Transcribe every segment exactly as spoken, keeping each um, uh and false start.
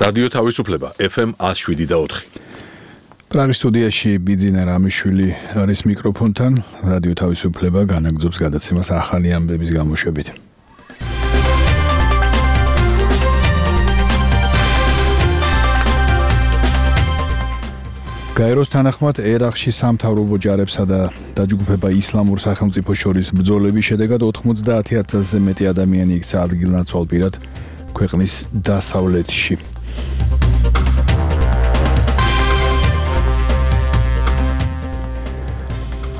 რადიო თავისუფლება ეფ ემ one oh seven point four. პრაღის სტუდიაში ბიძინა რამიშვილი არის მიკროფონთან. რადიო თავისუფლება განაგრძობს გადაცემას ახალი ამბების გამოშვებით. გაეროს თანახმად ერაყში სამთავრობო ჯარებსა და დაჯგუფება ისლამურ სახელმწიფოს შორის ბრძოლების შედეგად ოთხმოცდაათი ათასზე მეტი ადამიანი იქცა ადგილნაცვალ-პირად ქვეყნის დასავლეთში.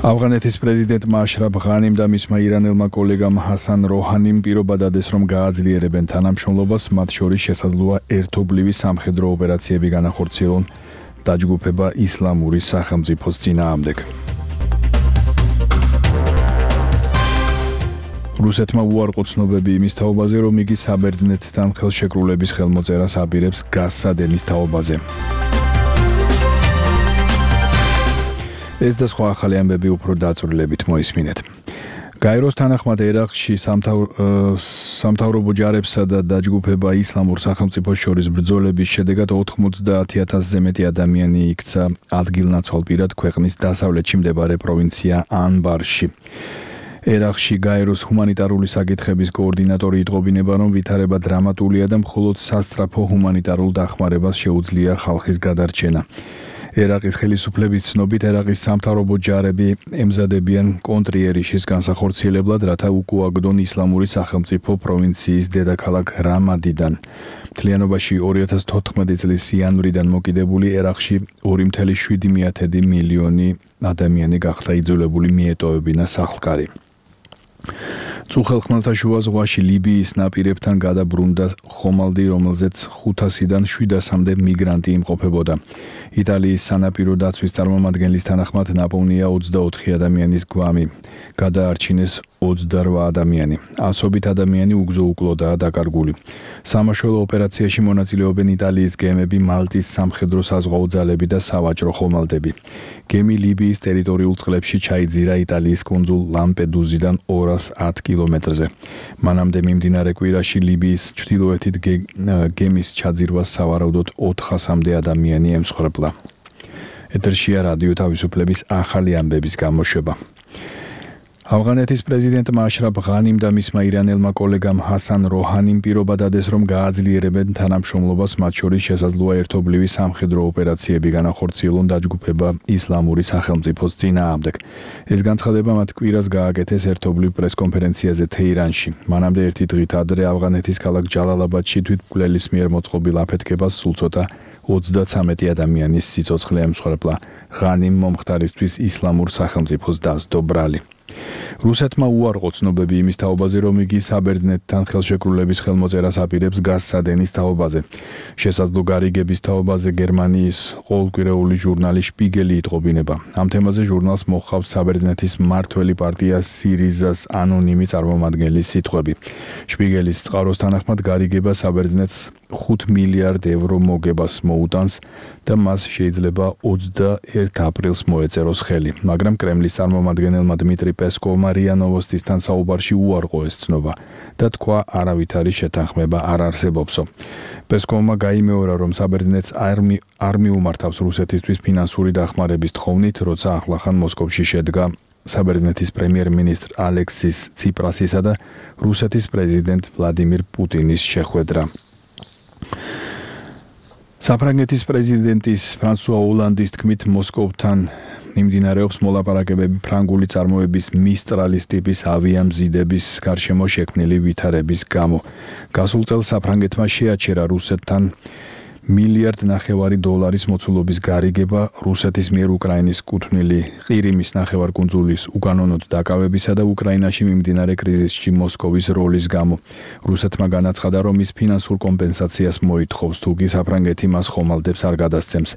ავღანეთის პრეზიდენტმა აშრაფ ღანიმ და მისმა ირანელმა კოლეგამ ჰასან როჰანიმ პირობა დადეს, რომ გააძლიერებენ თანამშრომლობას, მათ შორის შესაძლოა ერთობლივი სამხედრო ოპერაციები განახორციელონ დაჯგუფება ისლამური სახელმწიფოს წინააღმდეგ. რუსეთმა უარყო ცნობები იმის თაობაზე, რომ იგი საბერძნეთთან ხელშეკრულების ხელმოწერას აპირებს გაზსადენის თაობაზე. ეს და სხვა ახალი ამბები უფრო დაწვრილებით მოისმინეთ. გაეროს თანახმად ერაყში სამთავრობო ჯარებსა და დაჯგუფება ისლამურ სახელმწიფოს შორის ბრძოლების შედეგად ოთხმოცდაათი ათასზე მეტი ადამიანი იქცა ადგილნაცვალ-პირად ქვეყნის დასავლეთში მდებარე პროვინცია ანბარში. ერაყში გაეროს ჰუმანიტარული საკითხების კოორდინატორი იტყობინება, რომ ვითარება დრამატულია და მხოლოდ სასწრაფო ჰუმანიტარულ დახმარებას შეუძლია ხალხის გადარჩენა. ერაყის ხელისუფლების ცნობით, ერაყის სამთავრობო ჯარები ემზადებიან კონტრიერიშის განსახორციელებლად, რათა უკუაგდონ ისლამური სახელმწიფო პროვინციის დედაქალაქ რამადიდან. მთლიანობაში ორი ათას თოთხმეტი წლის იანვრიდან მოკიდებული ერაყში ორი წუთი შვიდი მილიონი ადამიანი გახდა იძულებული მიეტოვებინა სახლკარი. წუხელ ხმელთაშუა ზღვაში ლიბიის ნაპირებთან გადაბრუნდა ხომალდი, რომელზეც ხუთასიდან შვიდასამდე მიგრანტი იმყოფებოდა. იტალიის სანაპირო დაცვის წარმომადგენლის თანახმად ნაპოვნია ოცდაოთხი ადამიანის გვამი, გადაარჩინეს ოცდარვა ადამიანი. ასობით ადამიანი უგზო-უკლოდაა დაკარგული. სამაშველო ოპერაციაში მონაწილეობენ იტალიის გემები, მალტის სამხედრო საზღვაო ძალები და სავაჭრო ხომალდები. გემი ლიბიის ტერიტორიულ წყლებში ჩაიძირა იტალიის კუნძულ ლამპედუზიდან ორას ათ კილომეტრზე. მანამდე მიმდინარე კვირაში ლიბიის ჩრდილოეთით გემის ჩაძირვას სავარაუდოდ ოთხასამდე ადამიანი ემსხვერპლა. ეთერშია რადიო თავისუფლების ახალი ამბების გამოშვება. ავღანეთის პრეზიდენტმა აშრაფ ღანიმ და მისმა ირანელმა კოლეგამ ჰასან როჰანიმ პირობა დადეს, რომ გააძლიერებენ თანამშრომლობას, მათ შორის შესაძლოა ერთობლივი სამხედრო ოპერაციები განახორციელონ დაჯგუფება ისლამური სახელმწიფოს წინააღმდეგ. ეს განცხადება მათ კვირას გააკეთეს ერთობლივ პრესკონფერენციაზე თეირანში. მანამდე ერთი დღით ადრე ავღანეთის ქალაქ ჯალალაბადში თვითმკვლელის მიერ მოწყობილ აფეთქებას სულ ცოტა ოცდაცამეტი ადამიანის სიცოცხლე ემსხვერპლა. ღანიმ მომხდარისთვის ისლამურ სახელმწიფოს დასდო ბრალი. რუსეთმა უარყო ცნობები იმის თაობაზე, რომ იგი საბერძნეთთან ხელშეკრულების ხელმოწერას აპირებს გაზსადენის თაობაზე. შესაძლო გარიგების თაობაზე გერმანიის ყოველკვირეული ჟურნალი შპიგელი იტყობინება. ამ თემაზე ჟურნალს მოჰყავს საბერძნეთის მმართველი პარტია სირიზას ანონიმი წარმომადგენლის სიტყვები. შპიგელის წყაროს თანახმად გარიგება საბერძნეთს ხუთ მილიარდ ევრო მოგებას მოუტანს და მას შეიძლება ოცდაერთი აპრილს მოეწეროს ხელი, მაგრამ კრემლის წარმომადგენელმა დმიტრი პესკოვმა რია ნოვოსტისთან საუბარში უარყო ეს ცნობა და თქვა, არავითარი შეთანხმება არ არსებობსო. პესკოვმა გაიმეორა, რომ საბერძნეთს არ მიუმართავს რუსეთისთვის ფინანსური დახმარების თხოვნით, როცა ახლახან მოსკოვში შედგა საბერძნეთის პრემიერ-მინისტრ ალექსის ციპრასისა და რუსეთის პრეზიდენტ ვლადიმირ პუტინის შეხვედრა. საფრანგეთის პრეზიდენტის ფრანსუა ოლანდის თქმით, მოსკოვთან მიმდინარეობს მოლაპარაკებები ფრანგული წარმოების მისტრალის ტიპის ავიამზიდების გარშემო შექმნილი ვითარების გამო. გასულ წელს საფრანგეთმა შეაჩერა რუსეთთან მილიარდ ნახევარი დოლარის მოცულობის გარიგება რუსეთის მიერ უკრაინის კუთვნილი ყირიმის ნახევარკუნძულის უკანონოდ დაკავებისა და უკრაინაში მიმდინარე კრიზისში მოსკოვის როლის გამო. რუსეთმა განაცხადა, რომ ის ფინანსურ კომპენსაციას მოითხოვს, თუკი საფრანგეთი მას ხომალდებს არ გადასცემს.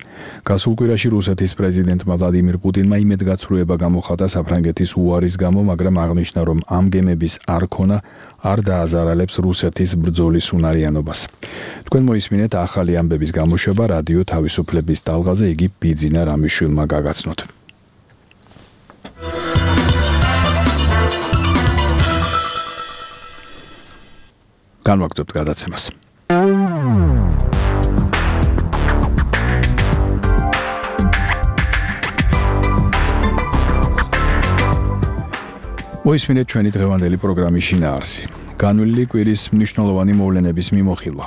გასულ კვირაში რუსეთის პრეზიდენტმა ვლადიმირ პუტინმა იმედგაცრუება გამოხატა საფრანგეთის უარის გამო, მაგრამ აღნიშნა, რომ ამ გემების არქონა არ დააზარალებს რუსეთის ბრძოლის უნარიანობას. თქვენ მოისმინეთ ახალი ამბების გამოშვება რადიო თავისუფლების ტალღაზე, იგი ბიძინა რამიშვილმა გაგაცნოთ. განვაგრძობთ გადაცემას. მოისმინეთ ჩვენი დღევანდელი პროგრამის შინაარსი. განვლილი კვირის მნიშვნელოვანი მოვლენების მიმოხილვა.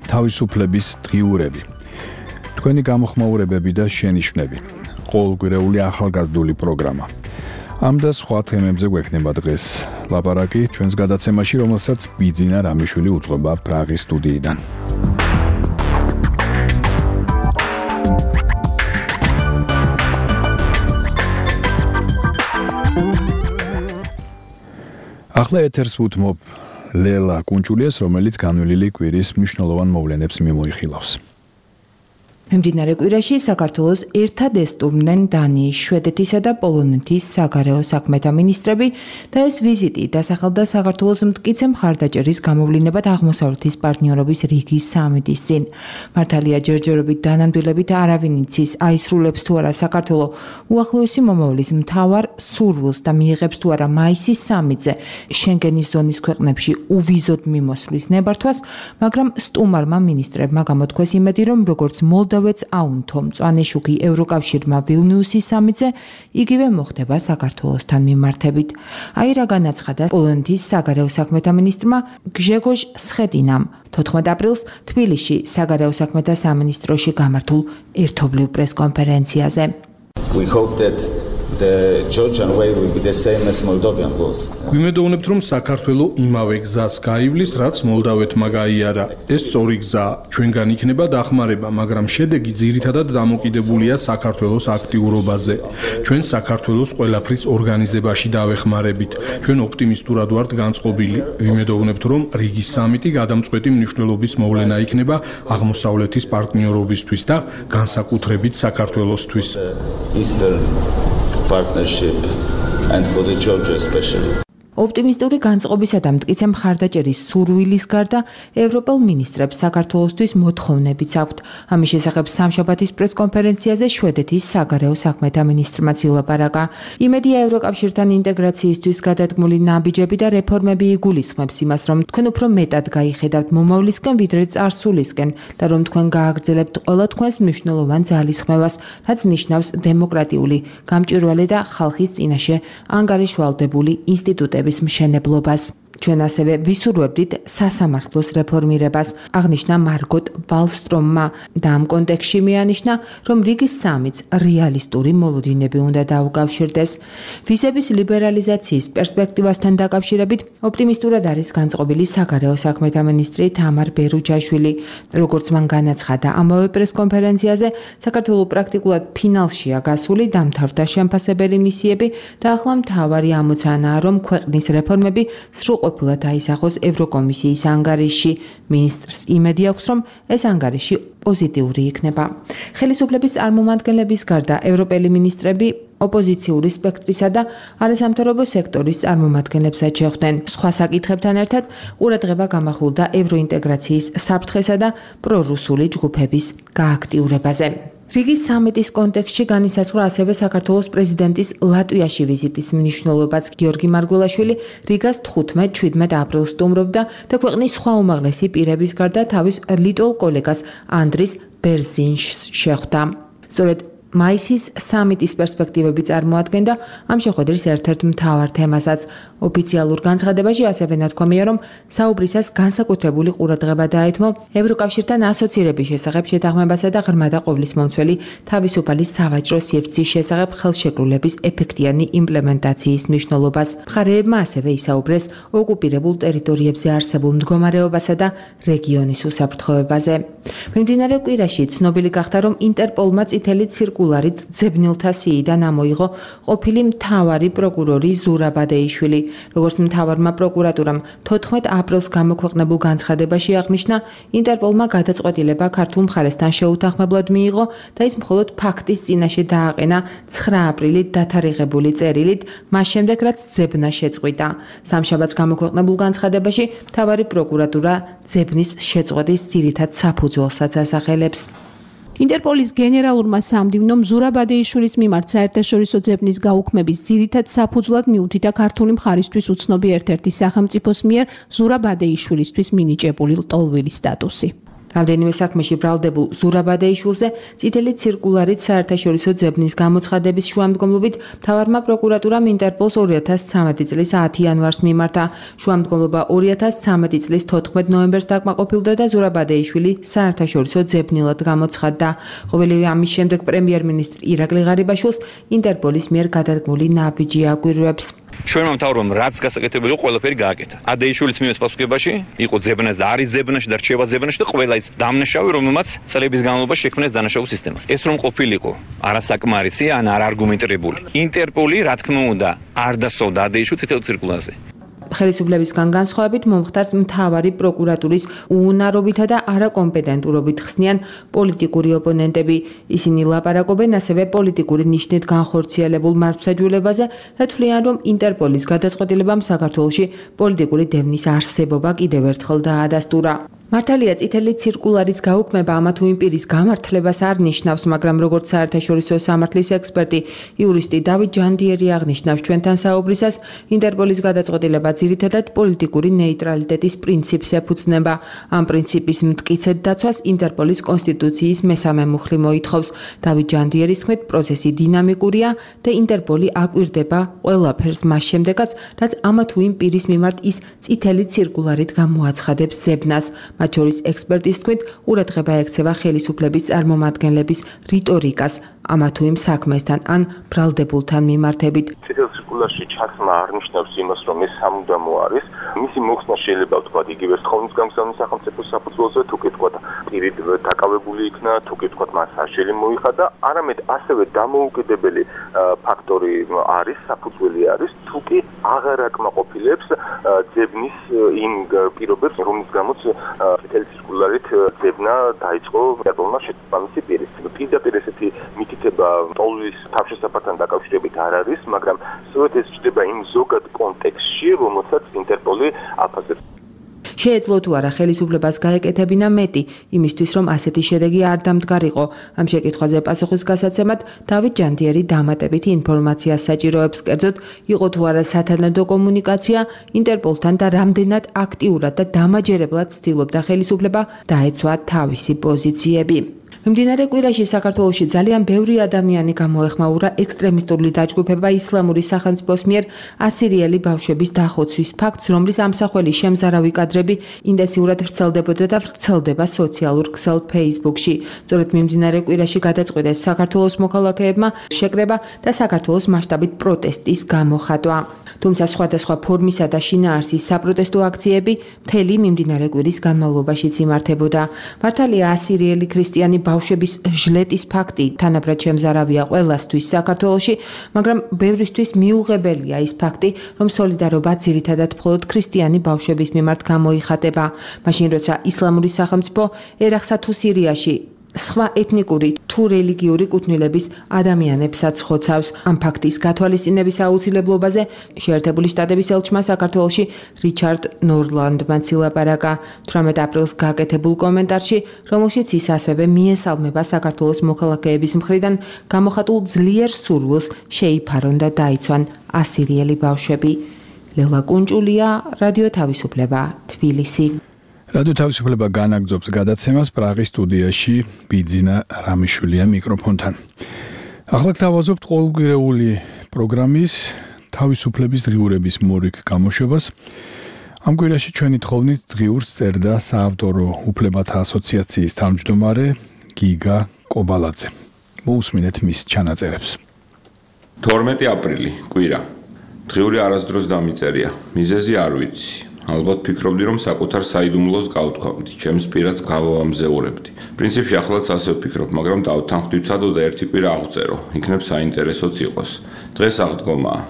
თავისუფლების დღიურები. თქვენი გამოხმაურებები და შენიშვნები. ყოველკვირეული ახალგაზრდული პროგრამა. ამ და სხვა თემებზე გვექნება დღეს ლაპარაკი ჩვენს გადაცემაში, რომელსაც ბიძინა რამიშვილი უძღვება პრაღის სტუდიიდან. ახლა ეთერს უთმობ ლელა კუნჭულიას, რომელიც განვლილი კვირის მნიშვნელოვან მოვლენებს მიმოიხილავს. მიმდინარე კვირაში საქართველოს ერთად ესტუმრნენ დანიის, შვედეთისა და პოლონეთის საგარეო საქმეთა მინისტრები და ეს ვიზიტი დასახელდა საქართველოს მტკიცე მხარდაჭერის გამოვლინებად აღმოსავლეთის პარტნიორობის რიგის სამიტის წინ. მართალია ჯერჯერობით დანამდვილებით არავინ იცის, აისრულებს თუ არა საქართველო უახლოესი მომავლის მთავარ სურვილს და მიიღებს თუ არა მაისის სამიტზე შენგენის ზონის ქვეყნებში უვიზოდ მიმოსვლის ნებართვას, მაგრამ სტუმარმა მინისტრებმა გამოთქვეს იმედი, რომ როგორც მოლდოვა ვეც აუნთო მწვანე შუქი ევროკავშირმა ვილნიუსის სამიტზე, იგივე მოხდება საქართველოსთან მიმართებით. აი რა განაცხადა პოლონეთის საგარეო საქმეთა მინისტრმა გჟეგოჟ სხედინამ თოთხმეტ აპრილს თბილისში საგარეო საქმეთა სამინისტროში გამართულ ერთობლივ პრესკონფერენციაზე. We hope that the Georgian way will be the same as Moldovan was. გვიმედოვნებთ, რომ საქართველო იმავე გზას გაივლის, რაც მოლდავეთმა გაიარა. ეს სწორი გზა ჩვენგან იქნება დახმარება, მაგრამ შედეგი ძირითადად დამოკიდებულია საქართველოს აქტიურობაზე. ჩვენ საქართველოს ყველაფრის ორგანიზებაში დავეხმარებით. ჩვენ ოპტიმისტურად ვართ განწყობილი. ვიმედოვნებთ, რომ რიგის სამიტი გადამწყვეტი მნიშვნელობის მოვლენა იქნება აღმოსავლეთის პარტნიორობისთვის და განსაკუთრებით საქართველოსთვის. Eastern partnership and for the Georgia especially. ოპტიმისტური განწყობისა და მტკიცე მხარდაჭერის სურვილის გარდა ევროპელ მინისტრებს საქართველოსთვის მოთხოვნებიც აქვთ. ამის შესახებ სამშაბათის პრესკონფერენციაზე შვედეთის საგარეო საქმეთა მინისტრმა ილაპარაკა. იმედია ევროკავშირთან ინტეგრაციისთვის გადადგმული ნაბიჯები და რეფორმები იგულისხმებს იმას, რომ თქვენ უფრო მეტად გაიხედავთ მომავლისკენ, ვიდრე წარსულისკენ და რომ თქვენ გააგრძელებთ ყველა თქვენს მნიშვნელოვან ძალისხმევას, რაც ნიშნავს დემოკრატიული, გამჭვირვალე და ხალხის წინაშე ანგარიშვალდებული ინსტიტუტების მშენებლობას. ჩვენ ასევე ვისურვებდით სასამართლოს რეფორმირებას, აღნიშნა მარგოტ ვალსტრომმა და ამ კონტექსტში მიანიშნა, რომ რიგის სამიტს რეალისტური მოლოდინები უნდა დაუკავშირდეს. ვიზების ლიბერალიზაციის პერსპექტივასთან დაკავშირებით ოპტიმისტურად არის განწყობილი საგარეო საქმეთა მინისტრი თამარ ბერუჯაშვილი. როგორც მან განაცხადა ამავე პრესკონფერენციაზე, საქართველო პრაქტიკულად ფინალშია გასული, დამთავრდა შემფასებელი მისიები და ახლა მთავარი ამოცანაა, რომ ქვეყნის რეფორმები სრულყოფილად ყოფილად აისახოს ევროკომისიის ანგარიში. მინისტრს იმედი აქვს, რომ ეს ანგარიში პოზიტიური იქნება. ხელისუფლების წარმომადგენლების გარდა ევროპელი მინისტრები ოპოზიციური სპექტრისა და არასამთავრობო სექტორის წარმომადგენლებსაც შეხვდნენ. სხვა საკითხებთან ერთად ყურადღება გამახვილდა ევროინტეგრაციის საფრთხესა და პრორუსული ჯგუფების გააქტიურებაზე. რიგის სამიტის კონტექსტში განისაზღვრა ასევე საქართველოს პრეზიდენტის ლატვიაში ვიზიტის მნიშვნელობაც. გიორგი მარგველაშვილი რიგას თხუთმეტ შვიდმეტ აპრილს სტუმრობდა და ქვეყნის სხვა უმაღლესი პირების გარდა თავის ლიტველ კოლეგას ანდრის ბერზინშს შეხვდა. სწორედ მაისის სამიტის პერსპექტივები წარმოადგენდა ამ შეხვედრის ერთ-ერთ მთავარ თემასაც. ოფიციალურ განცხადებაში ასევე ნათქვამია, რომ საუბრისას განსაკუთრებული ყურადღება დაეთმო ევროკავშირთან ასოცირების შესახებ შეთანხმებასა და ღრმა და ყოვლისმომცველი თავისუფალი სავაჭრო სივრცის შესახებ ხელშეკრულების ეფექტიანი იმპლემენტაციის მნიშვნელობას. მხარეებმა ასევე ისაუბრეს ოკუპირებულ ტერიტორიებზე არსებულ მდგომარეობასა და რეგიონის უსაფრთხოებაზე. მიმდინარე კვირაში ცნობილი გახდა, რომ ინტერპოლმა წითელი ცირკულარით ძებნილთა სიიდან ამოიღო ყოფილი მთავარი პროკურორი ზურაბ ადეიშვილი. როგორც მთავარმა პროკურატურამ თოთხმეტ აპრილს გამოქვეყნებულ განცხადებაში აღნიშნა, ინტერპოლმა გადაწყვეტილება ქართულ მხარესთან შეუთანხმებლად მიიღო და ის მხოლოდ ფაქტის წინაშე დააყენა ცხრა აპრილით დათარიღებული წერილით, მას შემდეგ რაც ძებნა შეწყვიტა. სამშაბათს გამოქვეყნებულ განცხადებაში მთავარი პროკურატურა ძებნის შეწყვეტის ძირითად საფუძველსაც ასახელებს. ინტერპოლის გენერალურმა სამდივნომ ზურაბ ადეიშვილის მიმართ საერთაშორისო ძებნის გაუქმების ძირითად საფუძვლად მიუთითა ქართული მხარისთვის უცნობი ერთ-ერთი სახელმწიფოს მიერ ზურაბ ადეიშვილისთვის მინიჭებული ლტოლვილის სტატუსი. რამდენიმე საქმეში ბრალდებულ ზურაბადეიშვილზე წითელი ცირკულარით საერთაშორისო ძებნის გამოცხადების შუამდგომლობით მთავარმა პროკურატურამ ინტერპოლს ორი ათას ცხრამეტი წლის ათი იანვარს მიმართა. შუამდგომლობა ორი ათას ცხრამეტი წლის თოთხმეტ ნოემბერს დაკმაყოფილდა და ზურაბადეიშვილი საერთაშორისო ძებნილად გამოცხადდა. ყოველივე ამის შემდეგ პრემიერ-მინისტრ ირაკლი ღარიბაშვილს ინტერპოლის მიერ გადადგმული ნაბიჯი აგვირვებს. ჩვენმა მთავრობამ რაც გასაკეთებელი იყო ყველაფერი გააკეთა. ადეიშვილის მიერ პასუხებაში იყო ძებნას და არის ძებნაში და რჩება ძებნაში და ყველა ის დამნაშავე რომელმაც წლების განმავლობაში შექმნეს დანაშაულ სისტემა. ეს რომ ყოფილიყო არასაკმარისი ან არ არგუმენტირებული. ინტერპოლი რა თქმა უნდა არ დასოვდა ადეიშვილს წითელ ცირკულარზე. ხელისუფლებისგან განსხვავებით მომხდარს მთავარი პროკურატურის უუნარობითა და არაკომპეტენტურობით ხსნიან პოლიტიკური ოპონენტები. ისინი ლაპარაკობენ ასევე პოლიტიკური ნიშნით განხორციელებულ მართლმსაჯულებაზე და თვლიან, რომ ინტერპოლის გადაწყვეტილებამ საქართველოში პოლიტიკური დევნის არსებობა კიდევ ერთხელ დაადასტურა. მართალია წითელი ცირკულარის გაუქმება ამა თუ იმ პირის გამართლებას არ ნიშნავს, მაგრამ როგორც საერთაშორისო სამართლის ექსპერტი, იურისტი დავით ჯანდიერი აღნიშნავს ჩვენთან საუბრისას, ინტერპოლის გადაწყვეტილება ძირითადად პოლიტიკური ნეიტრალიტეტის პრინციპს ეფუძნება. ამ პრინციპის მტკიცედ დაცვას ინტერპოლის კონსტიტუციის მესამე მუხლი მოითხოვს. დავით ჯანდიერის თქმით, პროცესი დინამიკურია და ინტერპოლი აკვირდება ყველაფერს მას შემდეგაც, რაც ამა თუ იმ პირის მიმართ ის წითელი ცირკულარით გამოაცხადებს ძებნას. მათ შორის ექსპერტის თქმით, ყურადღება ექცევა ხელისუფლების წარმომადგენლების რიტორიკას ამა თუ იმ საქმესთან ან ბრალდებულთან მიმართებით. წითელ ცირკულარში ჩაცმა არ ნიშნავს იმას, რომ ეს სამუდამო არის. მისი მოხსნა შეიძლება ვთქვათ იგივე სხოვნით გამგზავნის სახელმწიფო საფუძველზე, თუ კი ვთქვათ პირით დაკავებული იქნა, თუ კი ვთქვათ მას საშელი მოიხადა, არამედ ასევე დამოუკიდებელი ფაქტორი არის, საფუძველი არის, თუ კი აღარ აკმაყოფილებს ძებნის იმ პირობებს, რომლის გამოც წითელი ცირკულარით ძებნა დაიწყო ინტერპოლმა შესაბამისი პირის. პირდაპირ ესეთი მითითება ტოლვის თავშესაფართან დაკავშირებით არ არის, მაგრამ სწორედ ეს ჩნდება იმ ზოგად კონტექსტში, რომელსაც ინტერპოლი აფასებს. შეეძლო თუ არა ხელისუფლებას გაეკეთებინა მეტი, იმისთვის რომ ასეთი შედეგი არ დამდგარიყო. ამ შეკითხვაზე პასუხის გასაცემად დავით ჯანდიერი დამატებით ინფორმაციას საჭიროებს, კერძოდ იყო თუ არა სათანადო კომუნიკაცია ინტერპოლთან და რამდენად აქტიურად და დამაჯერებლად ცდილობდა ხელისუფლება დაეცვა თავისი პოზიციები. მიმდინარე კვირაში საქართველოში ძალიან ბევრი ადამიანი გამოეხმაურა ექსტრემისტული დაჯგუფება ისლამური სახელმწიფოს მიერ ასირიელი ბავშვების დახოცვის ფაქტს, რომლის ამსახველი შემზარავი კადრები ინტენსიურად ვრცელდებოდა და ვრცელდება სოციალურ ქსელ Facebook-ში. სწორედ მიმდინარე კვირაში გადაწყვიტეს საქართველოს მოქალაქეებმა შეკრება და საქართველოს მასშტაბით პროტესტის გამოხატვა. თუმცა სხვადასხვა ფორმისა და შინაარსის საპროტესტო აქციები მთელი მიმდინარე კვირის განმავლობაშიც იმართებოდა. მართალია ასირიელი ქრისტიანი ბავშვების ჟლეტის ფაქტი თანაბრად შემზარავია ყველასთვის საქართველოში, მაგრამ ბევრისთვის მიუღებელია ის ფაქტი, რომ სოლიდარობა ძირითადად მხოლოდ ქრისტიანი ბავშვების მიმართ გამოიხატება. მაშინ როცა ისლამური სახელმწიფო ერაყსა თუ სირიაში სხვა ეთნიკური თუ რელიგიური კუთვნილების ადამიანებსაც ხოცავს. ამ ფაქტის გათვალისწინების აუცილებლობაზე შეერთებული შტატების ელჩმა საქართველოში რიჩარდ ნორლანდმა ცილაპარაკა თვრამეტ აპრილს გაკეთებულ კომენტარში, რომელშიც ის ასევე მიესალმება საქართველოს მოქალაქეების მხრიდან გამოხატულ ძლიერ სურვილს შეიფარონ და დაიცვან ასირიელი ბავშვები. ლელა კუნჭულია, რადიო თავისუფლება, თბილისი. რადიო თავისუფლება განაგრძობს გადაცემას პრაღის სტუდიაში ბიძინა რამიშვილია მიკროფონთან. ახლა გთავაზობთ ყოველკვირეული პროგრამის თავისუფლების დღიურების მორიგ გამოშვებას. ამ კვირაში ჩვენი თხოვნით დღიურს წერდა საავტორო უფლებათა ასოციაციის თავმჯდომარე გიგა კობალაძე. მოусმინეთ მის ჩანაწერებს. თორმეტი აპრილი, კვირა. დღიური არასდროს დამიწერია. მიზეზი არ ვიცი. ალბათ ფიქრობდი, რომ საკუთარ საიდუმლოს გავთქვამდი, ჩემს პირადს გავამზეურებდი. პრინციპში ახლაც ასე ვფიქრობ, მაგრამ დავთანხმდი ვცადო და ერთი კვირა აღწერო. იქნებ საინტერესოც იყოს. დღეს აღდგომაა.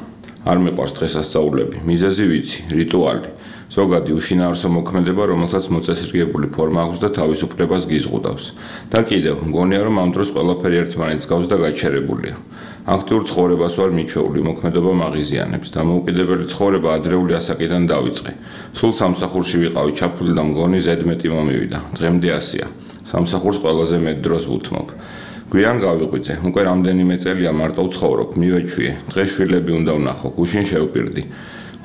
არ მიყვარს დღესასწაულები. მიზეზი ვიცი, რიტუალი. ზოგადი უშინაარსო მოქმედება, რომელსაც მოწესრიგებული ფორმა აქვს და თავისუფლებას გიზღუდავს. და კიდევ, მგონია, რომ ამ დროს ყველაფერი ერთმანეთს გავს და გაჩერებულია. აქტიურ ცხოვრებას ვარ მიჩვეული, მოქმედება მაღიზიანებს. დამოუკიდებელი ცხოვრება ადრეული ასაკიდან დავიწყე. სულ სამსახურში ვიყავი, ჩაფული და მგონი ზედმეტი მომივიდა. დღემდე ასეა. სამსახურს ყველაზე მეტ დროს ვუთმობ. გვიან გავიღვიძე, უკვე რამდენიმე წელია მარტო ვცხოვრობ, მივეჩვიე. დღეს შვილები უნდა ვნახო, გუშინ შევპირდი.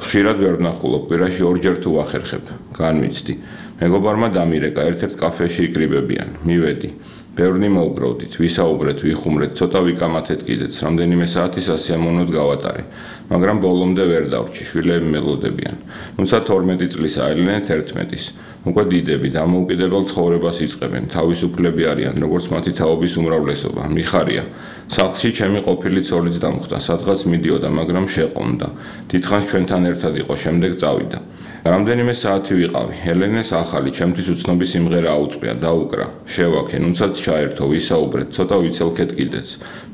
ხშირად ვერ ვნახულობ, კვირაში ორჯერ თუ ვახერხებ, განვიცდი. მეგობარმა დამირეკა, ერთ-ერთ კაფეში იკრიბებიან, მივედი. ბევრნი მოვგროვდით, ვისაუბრეთ, ვიხუმრეთ, ცოტა ვიკამათეთ კიდეც, რამდენიმე საათი სასიამოვნოდ გავატარე, მაგრამ ბოლომდე ვერ დავრჩი, შვილები მელოდებიან. თუმცა თორმეტი წლის აევლინეთ ერთმეტის. უკვე დიდები, დამოუკიდებელ ცხოვრებას იწყებენ, თავისუფლები არიან, როგორც მათი თაობის უმრავლესობა, მიხარია. სახლში ჩემი ყოფილი ცოლიც დამხვდა, სადღაც მიდიოდა, მაგრამ შეყომდა. დიდხანს ჩვენთან ერთად იყო, შემდეგ წავიდა. რამდენიმე საათი ვიყავი. ელენეს ახალი, ჩემთვის უცნობი სიმღერა აუწყია, დაუკრა. შევაქე, ნუცაც ჩაერთო, ვისაუბრეთ, ცოტა ვიცელქეთ კიდეც.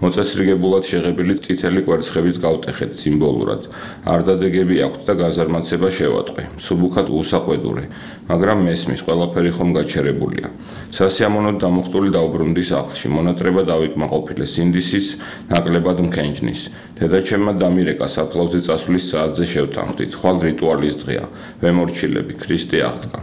მოწესრიგებულად შეღებილი წითელი კვერცხებიც გავტეხეთ სიმბოლურად. არდადეგები აქვთ და გაზარმაცება შევატყვე. მსუბუქად უსაყვედურე, მაგრამ მესმის, ყველაფერი ხომ გაჩერებულია. სასიამოვნოდ დამუხტული დავბრუნდი სახლში, მონატრება დავიკმაყოფილე, სინდისიც ნაკლებად მქენჯნის. დედაჩემმა დამირეკა საფლავზე წასვლის საათზე შევთანხმდით, ხვალ რიტუალის დღეა. ვემორჩილები, ქრისტე აღდგა.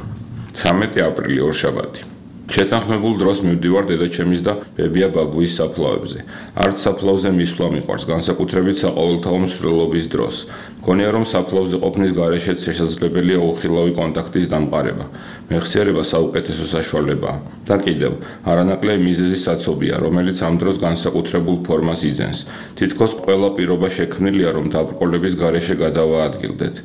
ცამეტი აპრილი ორშაბათი. შეთანხმებულ დროს მივდივარ დედაჩემის და ბებია ბაბუის საფლავებზე. არც საფლავზე მისვლა მიყვარს, განსაკუთრებით საყოველთაო მსვლელობის დროს. მგონია რომ საფლავზე ყოფნის გარეშეც შესაძლებელია უხილავი კონტაქტის დამყარება. მეხსიერება საუკეთესო საშუალებაა. და კიდევ, არანაკლები მიზეზი საცობია, რომელიც ამ დროს განსაკუთრებულ ფორმას იძენს. თითქოს ყველა პირობა შექმნილია, რომ დაბრკოლების გარეშე გადავაადგილდეთ.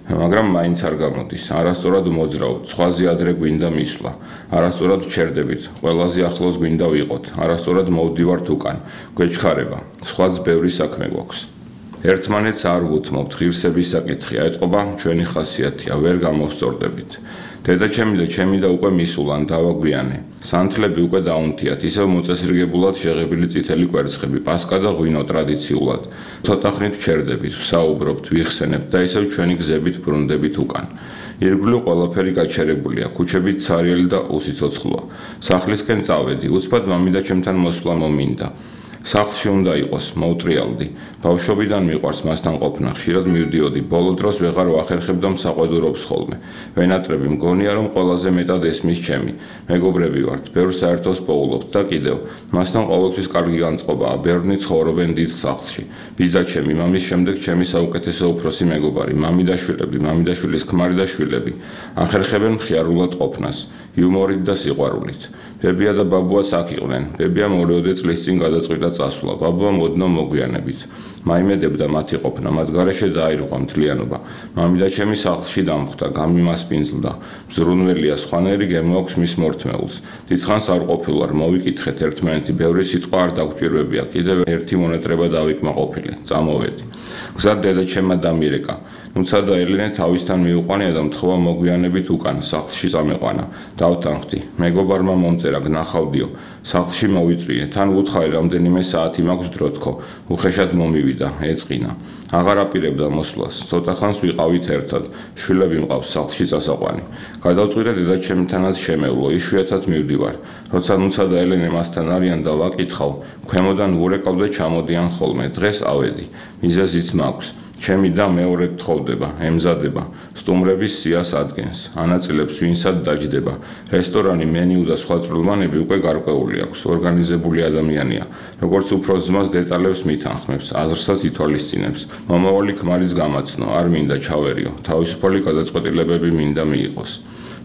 მაგრამ მაინც არ გამოდის, არასწორად მოძრაობთ, სხვაზე ადრე გვინდა მისვლა, არასწორად ვჩერდებით, ყველაზე ახლოს გვინდა ვიყოთ, არასწორად მოვდივართ უკან, გვეჩქარება, სხვაც ბევრი საქმე გვაქვს. ერთმანეთს არ ვუთმობთ, ღირსების საკითხია, ეტყობა ჩვენი ხასიათია, ვერ გამოვსწორდებით. დედაჩემი და ჩემი და უკვე მისულან დავაგვიანე. სანთლები უკვე დაუნთიათ, ისევ მოწესრიგებულად შეღებილი წითელი კვერცხები, პასკა და ღვინო ტრადიციულად. ცოტა ხნით ვჩერდებით, ვსაუბრობთ, ვიხსენებთ და ისევ ჩვენი გზებით ბრუნდებით უკან. ირგვლივ ყველაფერი გაჩერებულია, ქუჩებით ცარიელი და უსიცოცხლოა. სახლისკენ წავედი, უცბად მამიდაჩემთან მოსვლა მომინდა. სახლში უნდა იყოს, მოვტრიალდი. ბავშვობიდან მიყვარს მასთან ყოფნა, ხშირად მივდიოდი, ბოლო დროს ვეღარ ვახერხებ და მსაყვედურობს ხოლმე. ვენატრები, მგონია რომ ყველაზე მეტად ესმის ჩემი. მეგობრები ვართ, ბევრ საერთოს პოულობთ და კიდევ, მასთან ყოველთვის კარგი განწყობაა, ბევრნი ცხოვრობენ დიდ სახლში. ბიძაჩემი, მამის შემდეგ ჩემი საუკეთესო უფროსი მეგობარი, მამიდაშვილები, მამიდაშვილის ქმარი და შვილები. ახერხებენ მხიარულად ყოფნას, იუმორით და სიყვარულით. ბებია და ბაბუაც აქ იყვნენ. ბებია მორეოდე წლის წინ გადაწყვიტა წასვლა. ბაბუა მოდნო მოგვიანებით. მაიმედებდა მათი ყოფნა, მათ გარეშე დაირღვა მთლიანობა. მამიდაჩემი სახლში დამხვდა, გამიმასპინძლდა. მზრუნველია, სხვანაირი გემოაქვს მის მორთმეულს. დიდხანს არ ყოფილვარ, მოვიკითხეთ ერთმანეთი, ბევრი სიტყვა არ დაგვჭირვებია, კიდევ ერთი მონატრება დავიკმაყოფილე, წამოვედი. გზად დედაჩემმა დამირეკა. თუმცა და ელენე თავისთან მიუყვანია და მთხოვა მოგვიანებით უკან, სახლში წამეყვანა. დავთანხმდი, მეგობარმა მომწერა, გნახავდიო, სახლში მოვიწვიე, თან ვუთხარი რამდენიმე საათი მაქვს დრო თქო, უხეშად მომივიდა, ეწყინა. აღარ აპირებდა მოსვლას, ცოტა ხანს ვიყავით ერთად, შვილები მყავს სახლში წასაყვანი. გადავწყვიტე დედაჩემთანაც შემევლო, იშვიათად მივდივარ. როცა ნუცა და ელენე მასთან არიან და ვაკითხავ, ქვემოდან ვურეკავ და ჩამოდიან ხოლმე, დღეს ავედი, მიზეზიც მაქვს. ჩემი და მეორედ თხოვდება, ემზადება, სტუმრების სიას ადგენს, ანაწილებს ვინსად დაჯდება. რესტორანი, მენიუ და სხვა წვრილმანები უკვე გარკვეული აქვს, ორგანიზებული ადამიანია. როგორც უფროს ძმას დეტალებს მითანხმებს, აზრსაც ითვალისწინებს. მომავალი ქმარიც გამაცნო, არ მინდა ჩავერიო, თავისუფალი გადაწყვეტილებები მინდა მიიღოს.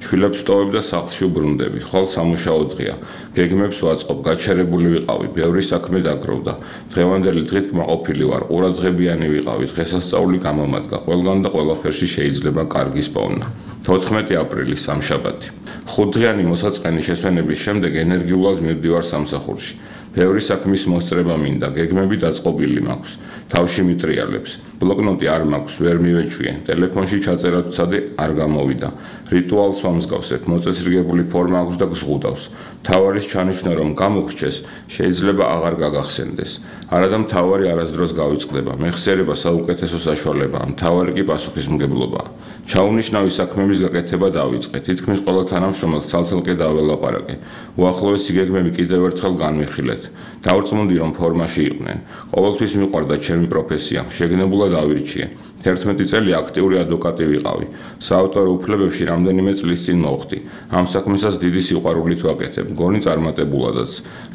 შვილებს ვტოვებ და სახლში ვბრუნდები, ხვალ სამუშაო დღეა. გეგმებს ვაწყობ, გაჩერებული ვიყავი, ბევრი საქმე დაგროვდა. დღევანდელი დღით კმაყოფილი ვარ, ყურადღებიანი ვიყავი, დღესასწაული გამომადგა, ყველგან და ყველაფერში შეიძლება კარგის პოვნა. თოთხმეტი აპრილი, სამშაბათი. ხუთდღიანი მოსაწყენი შესვენების შემდეგ ენერგიულად მივდივარ სამსახურში. ბევრი საქმის მოსწრება მინდა, გეგმები დაწყობილი მაქვს, თავში მიტრიალებს. ბლოკნოტი არ მაქვს, ვერ მივეჩვიე, ტელეფონში ჩაწერა ვცადე, არ გამოვიდა. რიტუალს ვამსგავსებ, მოწესრიგებული ფორმა აქვს და გზღუდავს. მთავარის ჩანიშვნა რომ გამოგრჩეს, შეიძლება აღარ გაგახსენდეს. არადა მთავარი არასდროს გავიწყდება, მეხსიერება საუკეთესო საშუალებაა, მთავარი კი პასუხისმგებლობაა. ჩაუნიშნავი საქმების გაკეთება დავიწყე, თითქმის ყველა თანამშრომელს ცალ-ცალკე დაველაპარაკე. უახლოესი გეგმები კიდევ ერთხელ განვიხილეთ. მივიღეთ. დავრწმუნდი რომ ფორმაში იყვნენ. ყოველთვის მიყვარდა ჩემი პროფესია, შეგნებულად ავირჩიე. თერთმეტი წელი აქტიური ადვოკატი ვიყავი. საავტორო უფლებებში რამდენიმე წლის წინ მოვხდი. ამ საქმესაც დიდი სიყვარულით ვაკეთებ, გონი წარმატებულადაც.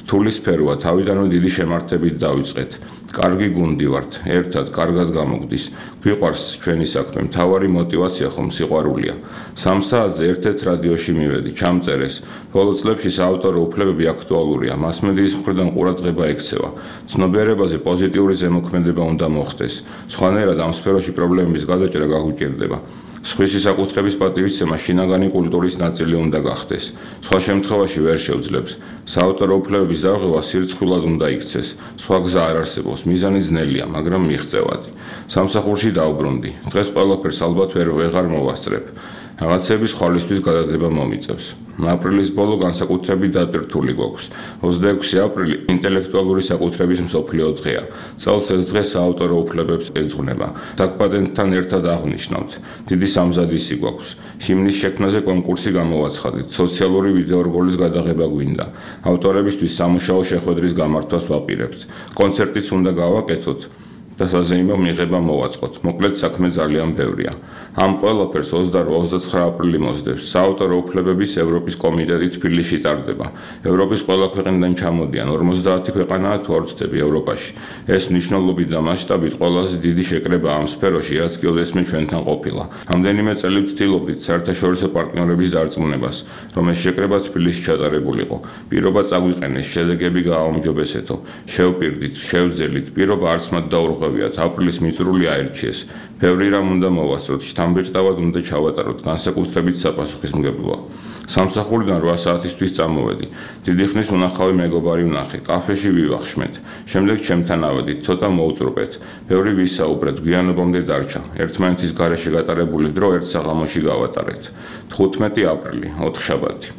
რთული სფეროა, თავიდანვე დიდი შემართებით დავიწყეთ. კარგი გუნდი ვართ, ერთად კარგად გამოგვდის. გვიყვარს ჩვენი საქმე, მთავარი мотиваცია ხომ სიყვარულია. სამ საათზე ერთ-ერთ რადიოში მივედი, ჩამწერეს. ბოლო წლებში საავტორო უფლებები აქტუალურია, მასმედიის მხრიდან ყურადღება ექცევა. ცნობიერებაზე პოზიტიური ზემოქმედება უნდა მოხდეს. სხვანაირად ამ სფეროში პრობლემების გადაჭრა გაგუჭირდება. სხვისი საკუთრების პატივისცემა შინაგანი კულტურის ნაწილი უნდა გახდეს. სხვა შემთხვევაში ვერ შევძლებთ. საავტორო უფლებების დარღვევა სირცხვილად უნდა იქცეს. სხვა გზა არ არსებობს, მიზანი ძნელია, მაგრამ მიღწევადი. სამსახურში დავბრუნდი. დღეს ყველაფერს ალბათ ვერ ვეღარ მოვასწრებ. რაღაცების ხვალისთვის გადადება მომიწევს. აპრილის ბოლო განსაკუთრებით დატვირთული გვაქვს. ოცდაექვსი აპრილი ინტელექტუალური საკუთრების მსოფლიო დღეა. წელს ეს დღე საავტორო უფლებებს ეძღვნება. საკპატენტთან ერთად აღნიშნავთ. დიდი სამზადისი გვაქვს. ჰიმნის შექმნაზე კონკურსი გამოვაცხადეთ. სოციალური ვიდეორგოლის გადაღება გვინდა. ავტორებისთვის სამუშაო შეხვედრის გამართვას ვაპირებთ. კონცერტიც უნდა გავაკეთოთ. და საზეიმო მიღება მოვაწყოთ. მოკლედ საქმე ძალიან ბევრია. ამ ყველაფერს ოცდაორი ოცდაცხრა აპრილი მოსდევს. საავტორო უფლებების ევროპის კომიტეტი თბილისში ტარდება. ევროპის ყველა ქვეყნიდან ჩამოდიან ორმოცდაათი ქვეყანაა თუ არ ვცდები ევროპაში. ეს მნიშვნელობით და მასშტაბით ყველაზე დიდი შეკრება ამ სფეროში, რაც გეოდესმე ჩვენთან ყოფილა. რამდენიმე წელი ვცდილობდით საერთაშორისო პარტნიორების დარწმუნებას, რომ ეს შეკრება თბილისში ჩატარებულიყო. პირობა წაგვიყენეს, შედეგები გააუმჯობესეთო. შევპირდით, შევძელით, პირობა არც მათ დაურღა აპრილის მიწრული აირჩიეს. ბევრი რამ უნდა მოვასწროთ, შთამბეჭდავად უნდა ჩავატაროთ, განსაკუთრებით საპასუხისმგებლოა. სამსახურიდან რვა საათისთვის წამოვედი. დიდი ხნის უნახავი მეგობარი ვნახე, კაფეში ვივახშმეთ. შემდეგ ჩემთან ავედით, ცოტა მოვწრუპეთ. ბევრი ვისაუბრეთ, გვიანობამდე დარჩა. ერთმანეთის გარეშე გატარებული დრო ერთ საღამოში გავატარეთ. თხუთმეტი აპრილი, ოთხშაბათი.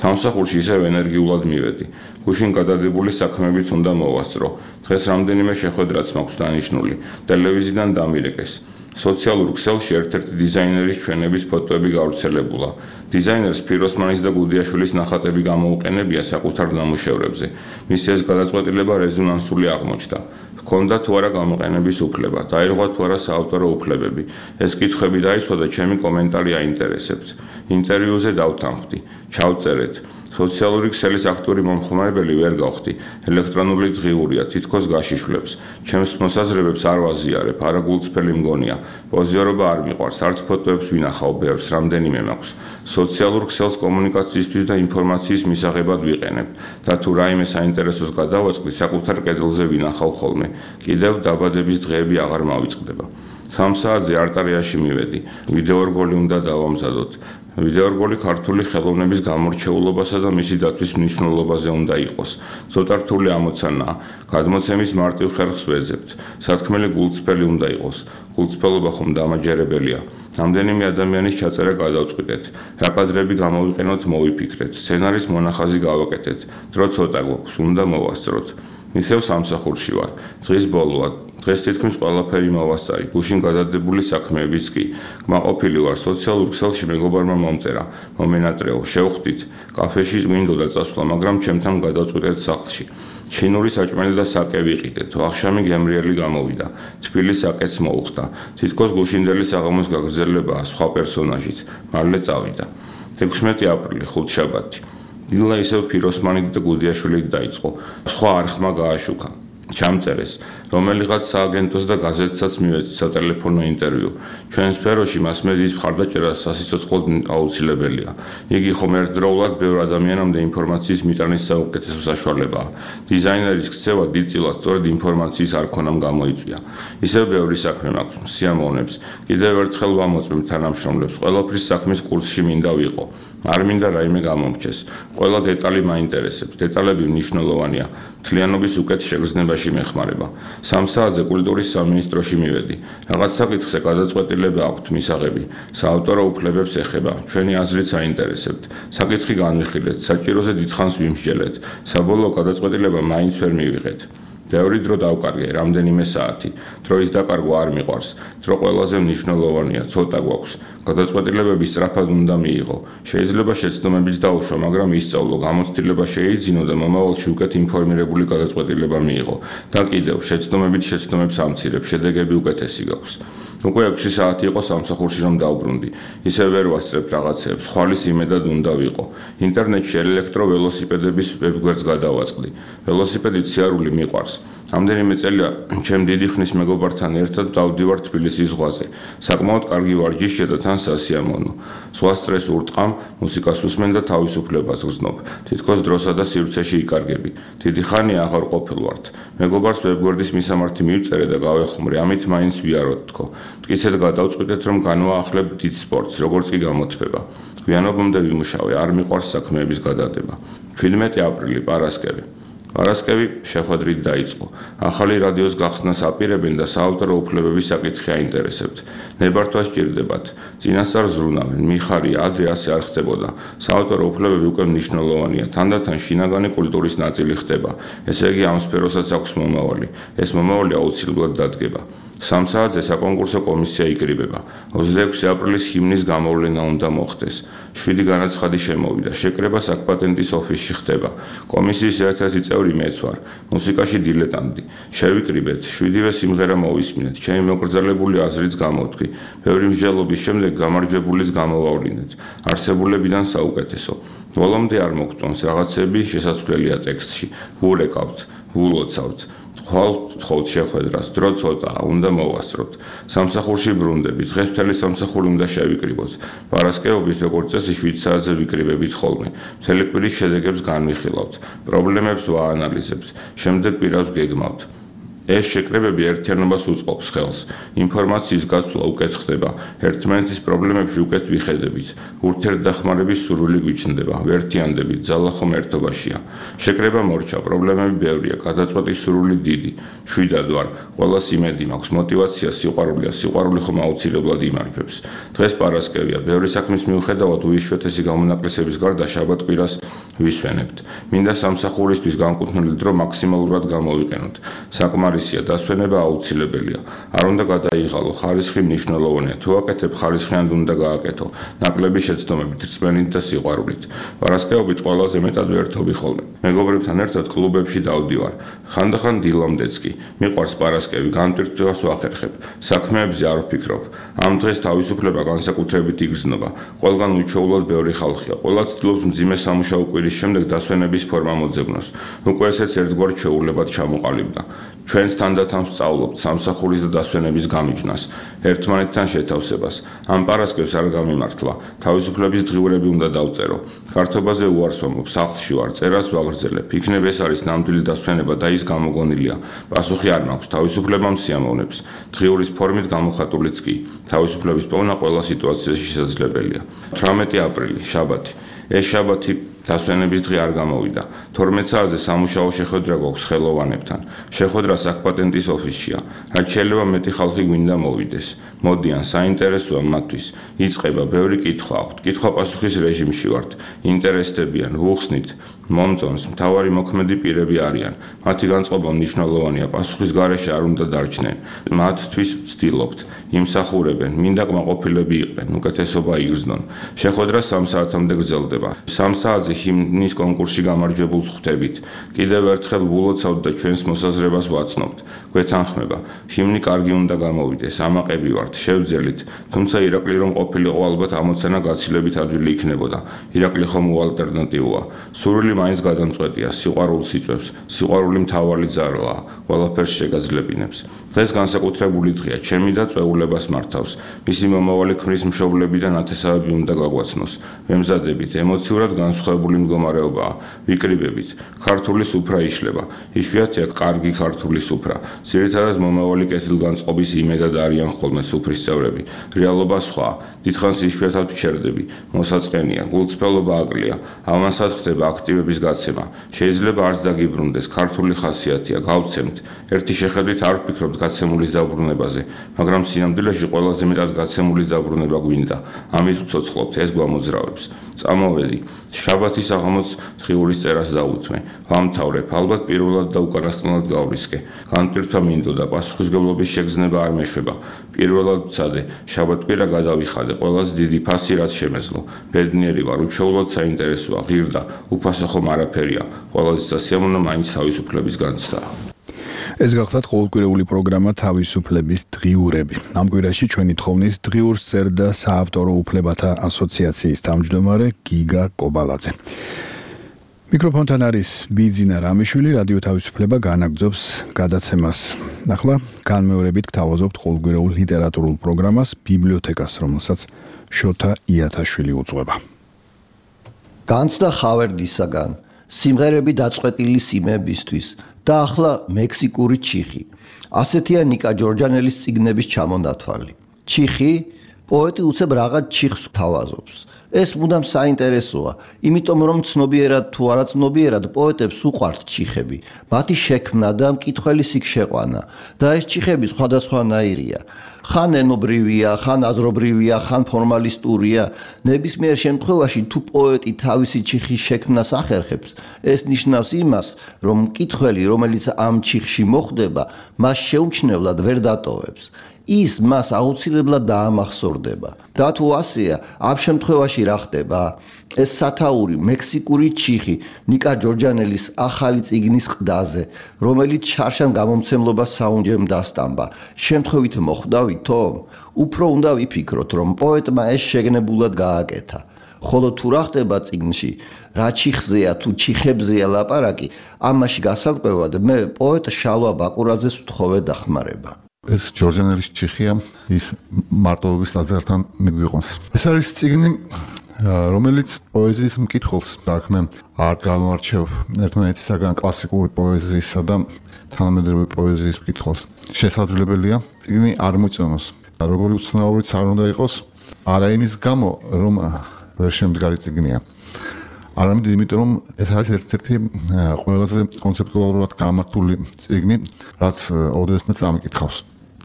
სამსახურში ისევ ენერგიულად მივედი. გუშინ გადადებული საქმეებიც უნდა მოვასწრო. დღეს რამდენიმე შეხვედრაც მაქვს დანიშნული. ტელევიზიიდან დამირეკეს. სოციალურ ქსელში ერთ-ერთი დიზაინერის ჩვენების ფოტოები გავრცელებულა. დიზაინერს ფიროსმანის და გუდიაშვილის ნახატები გამოუყენებია საკუთარ ნამუშევრებზე. მისი ეს გადაწყვეტილება რეზონანსული აღმოჩნდა. ჰქონდა თუ არა გამოყენების უფლება, დაირღვა თუ არა საავტორო უფლებები. ეს კითხვები დაისვა და ჩემი კომენტარი აინტერესებთ. ინტერვიუზე დავთანხმდი. ჩავწერეთ. სოციალური ქსელის აქტიური მომხმარებელი ვერ გავხდი. ელექტრონული დღიურია, თითქოს გაშიშვლებს. ჩემს მოსაზრებებს არ ვაზიარებ, არა გულწრფელი მგონია. პოზიორობა არ მიყვარს, არც ფოტოებს ვინახავ ბევრს, რამდენიმე მაქვს. სოციალურ ქსელს კომუნიკაციისთვის და ინფორმაციის მისაღებად ვიყენებ. და თუ რაიმე საინტერესოს გადავაწყდი, საკუთარ კედელზე ვინახავ ხოლმე. კიდევ დაბადების დღეები აღარ მავიწყდება. სამ საათზე არტარიაში მივედი. ვიდეორგოლი უნდა დავამზადოთ. ვიდეორგოლი ქართული ხელოვნების გამორჩეულობასა და მისი დაცვის მნიშვნელობაზე უნდა იყოს. ცოტა რთული ამოცანაა. გადმოცემის მარტივ ხერხს ვეძებთ. სათქმელი გულწრფელი უნდა იყოს. გულწრფელობა ხომ დამაჯერებელია. რამდენიმე ადამიანის ჩაწერა გადავწყვიტეთ. რა კადრები გამოვიყენოთ, მოვიფიქრეთ. სცენარის მონახაზი გავაკეთეთ. დრო ცოტა გვაქვს, უნდა მოვასწროთ. ისევ სამსახურში ვარ. დღის ბოლოა. დღეს თითქმის ყველაფერი მოვასწარი. გუშინ გადადებული საქმეებიც კი. გმაყოფილი ვარ, სოციალურ ქსელში მეგობარმა მომწერა. მომენატრეო, შევხვდით. კაფეში გვინდოდა წასვლა, მაგრამ ჩემთან გადავწყვიტეთ სახლში. ჩინური საჭმელი და საკე ვიყიდეთ. ვახშამი გემრიელი გამოვიდა. თბილი საკეც მოუხდა. თითქოს გუშინდელი საღამოს გაგრძელებაა სხვა პერსონაჟით. მალე წავიდა. ექვსმეტი აპრილი, ხუთშაბათი. დილა ისევ ფიროსმანით და გუდიაშვილით დაიწყო. სხვა არხმა გააშუქა. ჩამწერეს, რომელიღაც სააგენტოს და გაზეთსაც მივეცით სატელეფონო ინტერვიუ. ჩვენ სფეროში მასმედიის მხარდაჭერა სასიცოცხლოდ აუცილებელია. იგი ხომ ერთდროულად ბევრ ადამიანამდე ინფორმაციის მიტანის საუკეთესო საშუალებაა. დიზაინერის ქცევა დიდწილად სწორედ ინფორმაციის არ ქონამ გამოიწვია. ისევ ბევრი საქმე მაქვს, სიამოვნებს. კიდევ ერთხელ ვამოწმებ თანამშრომლებს, ყველაფრის საქმის კურსში მინდა ვიყო. არ მინდა რაიმე გამომრჩეს. ყველა დეტალი მაინტერესებს, დეტალები მნიშვნელოვანია. მთლიანობის უკეთ შეგრძნებაში მეხმარება. სამ საათზე კულტურის სამინისტროში მივედი. რაღაც საკითხზე გადაწყვეტილება აქვთ მისაღები. საავტორო უფლებებს ეხება. ჩვენი აზრით საინტერესებთ. საკითხი განვიხილეთ, საჭიროზე დიდხანს ვიმსჯელეთ. საბოლოო გადაწყვეტილება მაინც ვერ მივიღეთ. ბევრი დრო დავკარგე, რამდენიმე საათი. დროის დაკარგვა არ მიყვარს. დრო ყველაზე მნიშვნელოვანია, ცოტა გვაქვს. გადაწყვეტილებები სწრაფად უნდა მიიღო. შეიძლება შეცდომებიც დაუშვა, მაგრამ ისწავლო, გამოცდილება შეიძინო და მომავალში უკეთ ინფორმირებული გადაწყვეტილება მიიღო. და კიდევ, შეცდომებით შეცდომებს ამცირებ, შედეგები უკეთესი გაქვს. უკვე ექვსი საათი იყო სამსახურში რომ დავბრუნდი. ისე ვერ ვასწრებ რაღაცებს, ხვალის იმედად უნდა ვიყო. ინტერნეტში ელექტროველოსიპედების ვებგვერდს გადავაწყდი. ველოსიპედით სიარული მიყვარს. რამდენიმე წელია ჩემ დიდი ხნის მეგობართან ერთად დავდივარ თბილისის ზღვაზე. საკმაოდ კარგი ვარჯიშია და თან სასიამოვნო. სხვა სტრესს ურტყამ, მუსიკას უსმენ და თავისუფლებას გრძნობ. თითქოს დროსა და სივრცეში იკარგები. დიდი ხანია აღარ ყოფილ ვართ. მეგობარს ვებგვერდის მისამართი მივწერე და გავეხუმრე, ამით მაინც ვიაროთ თქო. მტკიცედ გადავწყვიტეთ რომ განვაახლებ დიდ სპორტს, როგორც კი გამოთბება. გვიანობამდე ვიმუშავე, არ მიყვარს საქმეების გადადება. ჩვიდმეტი აპრილი, პარასკევი. პარასკევი შეხვედრით დაიწყო. ახალი რადიოს გახსნას აპირებენ და საავტორო უფლებების საკითხი აინტერესებთ. ნებართვა სჭირდებათ. წინასწარ ზრუნავენ, მიხარია, ადრე ასე არ ხდებოდა. საავტორო უფლებები უკვე მნიშვნელოვანია, თანდათან შინაგანი კულტურის ნაწილი ხდება. ესე იგი ამ სფეროსაც აქვს მომავალი. ეს მომავალი აუცილებლად დადგება. სამ საათზე საკონკურსო კომისია იკრიბება. ოცდაექვსი აპრილის ჰიმნის გამოვლენა უნდა მოხდეს. შვიდი განაცხადი შემოვიდა. შეკრება საკპატენტის ოფისში ხდება. კომისიის ერთ-ერთი წევრი მეც ვარ. მუსიკაში დილეტანტი. შევიკრიბეთ, შვიდივე სიმღერა მოვისმინეთ. ჩემი მოკრძალებული აზრიც გამოვთქვი. ბევრი მსჯელობის შემდეგ გამარჯვებულიც გამოვავლინეთ. არსებულებიდან საუკეთესო. ბოლომდე არ მოგწონს რაღაცები შესაძლებელია ტექსტში. ვურეკავთ, ვულოცავთ. ხვალთ შეხვედრას, დრო ცოტაა, უნდა მოვასწროთ. სამსახურში ბრუნდებით, დღეს მთელი სამსახური უნდა შევიკრიბოთ. პარასკევობით როგორც წესი შვიდ საათზე ვიკრიბებით ხოლმე. მთელი კვირის შედეგებს განვიხილავთ, პრობლემებს ვაანალიზებთ, შემდეგ კვირას გეგმავთ. ეს შეკრებები ერთიანობას უწყობს ხელს. ინფორმაციის გაცვლა უკეთ ხდება, ერთმანეთის პრობლემებში უკეთ ვიხედებით. ურთიერთდახმარების სურვილი გვიჩნდება, ვერთიანდებით, ძალა ხომ ერთობაშია. შეკრება მორჩა, პრობლემები ბევრია, გადაწყვეტის სურვილი დიდი. შვიდად ვარ, ყველას იმედი მაქვს, მოტივაცია, სიყვარულია, სიყვარული ხომ აუცილებლად იმარჯვებს. დღეს პარასკევია, ბევრი საქმის მიუხედავად უიშვიათესი გამონაკლისების გარდა შაბათ-კვირას ვისვენებთ. მინდა სამსახურისთვის განკუთვნილი დრო მაქსიმალურად გამოვიყენოთ. საკმარისია, დასვენება აუცილებელია. არ უნდა გადაიღალო, ხარისხი მნიშვნელოვანია. თუ აკეთებ, ხარისხიანად უნდა გააკეთო. ნაკლები შეცდომებით, რწმენით და სიყვარულით. პარასკევობით ყველაზე მეტად ვერთობი ხოლმე. მეგობრებთან ერთად კლუბებში დავდივარ. ხანდახან დილამდეც კი. მიყვარს პარასკევი, განტვირთვას ვახერხებ. საქმეებზე არ ვფიქრობ. ამ დღეს თავისუფლება განსაკუთრებით იგრძნობა. ყველგან უჩვეულოდ ბევრი ხალხია. ყველა ცდილობს მძიმე სამუშაო კვირის შემდეგ დასვენების ფორმა მოძებნოს. უკვე ესეც ერთგვარ ჩვეულებად ჩამოყალიბდა. ჩვენს თანდათან ვსწავლობთ სამსახურის და დასვენების გამიჯნას, ერთმანეთთან შეთავსებას. ამ პარასკევს არ გამიმართლა, თავისუფლების დღიურები უნდა დავწერო. ქართობაზე უარს ვამბობ, სახლში ვარ, წერას ვაგრძელებ. იქნებ ეს არის ნამდვილი დასვენება და ის გამოგონილია. პასუხი არ მაქვს, თავისუფლება მსიამოვნებს. დღიურის ფორმით გამოხატულიც კი. თავისუფლების პოვნა ყველა სიტუაციაში შესაძლებელია. თვრამეტი აპრილი, შაბათი. ეს შაბათი დასვენების დღე არ გამოვიდა. თორმეტ საათზე სამუშაო შეხვედრა გვაქვს ხელოვანებთან. შეხვედრა საკპატენტის ოფისშია. რაც შეიძლება მეტი ხალხი გვინდა მოვიდეს. მოდიან, საინტერესოა მათთვის. იწყება, ბევრი კითხვა აქვთ. კითხვა-პასუხის რეჟიმში ვართ. ინტერესდებიან, ვუხსნით, მომწონს, მთავარი მოქმედი პირები არიან. მათი განწყობა მნიშვნელოვანია, პასუხის გარეშე არ უნდა დარჩნენ. მათთვის ვცდილობთ, იმსახურებენ, მინდა კმაყოფილები იყვნენ, უკეთესობა იგრძნონ. შეხვედრა სამ საათამდე გრძელდება. სამ საათზე ჰიმნის კონკურსში გამარჯვებულს ხვდებით. კიდევ ერთხელ ვულოცავთ და ჩვენს მოსაზრებას ვაცნობთ. გვეთანხმება, ჰიმნი კარგი უნდა გამოვიდეს, ამაყები ვართ, შევძელით, თუმცა ირაკლი რომ ყოფილიყო ალბათ ამოცანა გაცილებით ადვილი იქნებოდა. ირაკლი ხომ უალტერნატივოა. სურვილი მაინც გადამწყვეტია, სიყვარულს იწვევს, სიყვარული მთავარი ძალაა, ყველაფერს შეგაძლებინებს. დღეს განსაკუთრებული დღეა, ჩემი და წვეულებას მართავს. მისი მომავალი ქმრის მშობლებიდან ათესავები უნდა გაგვაცნოს. ვემზადებით, ემოციურად განსხვავებული მდგომარეობაა. ვიკრიბებით, ქართული სუფრა იშლება. იშვიათია კარგი ქართული სუფრა. ძირითადად მომავალი კეთილგანწყობის იმედად არიან ხოლმე სუფრის წევრები. რეალობა სხვაა. დიდხანს იშვიათად ვჩერდები. მოსაწყენია, გულწრფელობა აკლია. ამასაც ხდება აქტივების გაცემა. შეიძლება არც დაგიბრუნდეს, ქართული ხასიათია, გავცემთ. ერთი შეხედვით არ ვფიქრობთ გაცემულის დაბრუნებაზე, მაგრამ სინამდვილეში ყველაზე მეტად გაცემულის დაბრუნება გვინდა. ამით ვცოცხლობთ, ეს გვამოძრავებს. წამოვედი. შაბათ ალბათ ის აღამოც დღიურის წერას დაუთმე. ვამთავრებ, ალბათ პირველად და უკანასკნელად გავრისკე. განტვირთვა მინდოდა, პასუხისმგებლობის შეგრძნება არ მეშვება. პირველად ვცადე, შაბათ-კვირა გადავიხადე, ყველაზე დიდი ფასი რაც შემეძლო. ბედნიერი ვარ, უჩვეულოდ საინტერესოა, ღირდა, უფასო ხომ არაფერია. ყველაზე სასიამოვნო მაინც თავისუფლების განცდაა. ეს გახლავთ ყოველკვირეული პროგრამა თავისუფლების დღიურები. ამ კვირაში ჩვენი თხოვნით დღიურს წერდა საავტორო უფლებათა ასოციაციის თავმჯდომარე გიგა კობალაძე. მიკროფონთან არის ბიძინა რამიშვილი, რადიო თავისუფლება განაგრძობს გადაცემას. ახლა განმეორებით გთავაზობთ ყოველკვირეულ ლიტერატურულ პროგრამას ბიბლიოთეკას, რომელსაც შოთა იათაშვილი უძღვება. განცდა ხავერდისაგან, სიმღერები დაწყვეტილი სიმებისთვის და ახლა მექსიკური ჩიხი. ასეთია ნიკა ჯორჯანელის წიგნების ჩამონათვალი. ჩიხი პოეტი უცებ რაღაც ჩიხს თავაზობს. ეს მუდამ საინტერესოა, იმიტომ რომ ცნობიერად თუ არა ცნობიერად პოეტებს უყვართ ჩიხები. მათი შექმნა და მკითხველის იქ შეყვანა და ეს ჩიხები სხვადასხვანაირია. ხან ენობრივია, ხან აზრობრივია, ხან ფორმალისტურია. ნებისმიერ შემთხვევაში თუ პოეტი თავისი ჩიხის შექმნას ახერხებს, ეს ნიშნავს იმას, რომ მკითხველი, რომელიც ამ ჩიხში მოხვდება, მას შეუმჩნევლად ვერ დატოვებს. ის მას აუცილებლად დაამახსოვრდება. და თუ ასეა, ამ შემთხვევაში რა ხდება? ეს სათაური მექსიკური ჩიხი ნიკა ჯორჯანელის ახალი წიგნის ყდაზე, რომელიც შარშან გამომცემლობას საუნჯემ დასტამბა. შემთხვევით მოხვდავითო? უფრო უნდა ვიფიქროთ, რომ პოეტმა ეს შეგნებულად გააკეთა. ხოლო თუ რა ხდება წიგნში, რა ჩიხზეა თუ ჩიხებზეა ლაპარაკი, ამაში გასაკვირად მე პოეტ შალვა ბაკურაძეს ვთხოვე დახმარება. ეს ჯორჯანელის ჩიხია, ის მარტოობის ტაძართან მიგვიყონს. ეს არის წიგნი, რომელიც პოეზიის მკითხველს საქმე არ გამოარჩევ ერთმანეთისაგან კლასიკური პოეზიისა და თანამედროვე პოეზიის მკითხველს. შესაძლებელია წიგნი არ მოწონოს. როგორი უცნაურიც არ უნდა იყოს, არა იმის გამო, რომ ვერ შემდგარი წიგნია. არამედ იმიტომ, რომ ეს არის ერთ-ერთი ყველაზე კონცეპტუალურად გამართული წიგნი, რაც ოდესმე წამიკითხავს.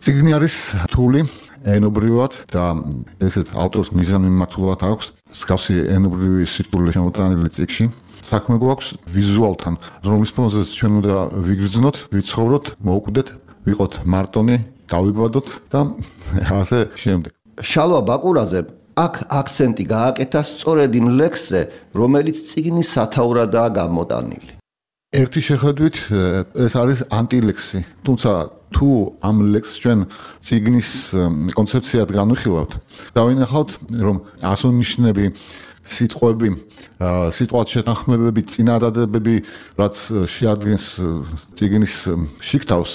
წიგნი არის რთული ენობრივად და ესეც ავტორს მიზანმიმართულად აქვს მსგავსი ენობრივი სირთულე შემოტანილი წიგნში. საქმე გვაქვს ვიზუალთან, რომლის ფონზეც ჩვენ უნდა ვიგრძნოთ, ვიცხოვროთ, მოუკვდეთ, ვიყოთ მარტონი, დავიბადოთ და ასე შემდეგ. შალვა ბაკურაძე აქ აქცენტი გააკეთა სწორედ იმ ლექსზე, რომელიც წიგნის სათაურადაა გამოტანილი. ერთი შეხედვით ეს არის ანტილექსი, თუმცა თუ ამ ლექსს ჩვენ წიგნის კონცეფციად განვიხილავთ, დავინახავთ, რომ ასონიშნები, სიტყვები, სიტყვათ შეთანხმებები, წინადადებები, რაც შეადგენს წიგნის შიგთავს,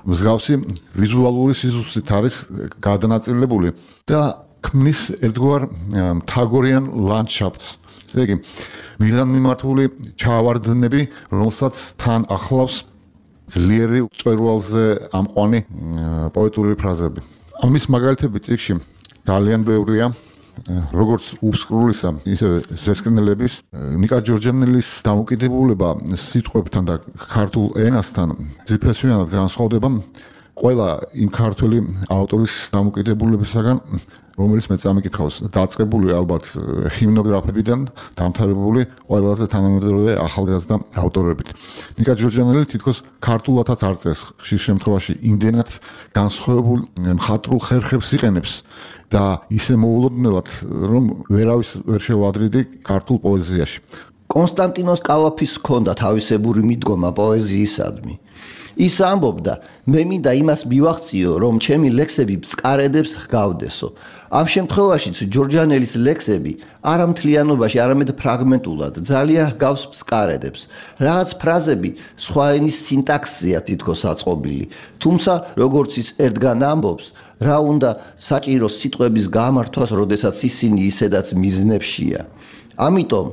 მსგავსი ვიზუალური სიზუსტით არის გადანაწილებული და ქმნის ერთგვარ მთაგორიან ლანდშაფტს. ესე იგი, მიზანმიმართული ჩავარდნები, რომელსაც თან ახლავს ძლიერი მწვერვალზე ამყვანი პოეტური ფრაზები. ამის მაგალითები წიგნში ძალიან ბევრია, როგორც უბსკრულისა, ისე ზესკნელების. ნიკა ჯორჯანელის დამოკიდებულება სიტყვებთან და ქართულ ენასთან ძირფესვიანად განსხვავდება ყველა იმ ქართველი ავტორის დამოკიდებულებისაგან, რომელიც მე წამიკითხავს, დაწყებული ალბათ ჰიმნოგრაფებიდან, დამთავრებული ყველაზე თანამედროვე ახალგაზრდა ავტორებით. ნიკა ჯორჯანელი თითქოს ქართულადაც არ წერს, ხშირ შემთხვევაში იმდენად განსხვავებულ მხატვრულ ხერხებს იყენებს და ისე მოულოდნელად, რომ ვერავის ვერ შევადრიდი ქართულ პოეზიაში. კონსტანტინოს კავაფის ჰქონდა თავისებური მიდგომა პოეზიისადმი. ის ამბობდა, მე მინდა იმას მივახციო, რომ ჩემი ლექსები ბსკარედებს ჰგავდესო. ამ შემთხვევაშიც ჯორჯანელის ლექსები არა მთლიანობაში, არამედ ფრაგმენტულად ძალიან ჰგავს ბსკარედებს. რაღაც ფრაზები სხვა ენის სინტაქსზეა თითქოს აწყობილი, თუმცა როგორც ის ერთგან ამბობს, რა უნდა საჭირო სიტყვების გამართვას, როდესაც ისინი ისედაც მიზნებშია. ამიტომ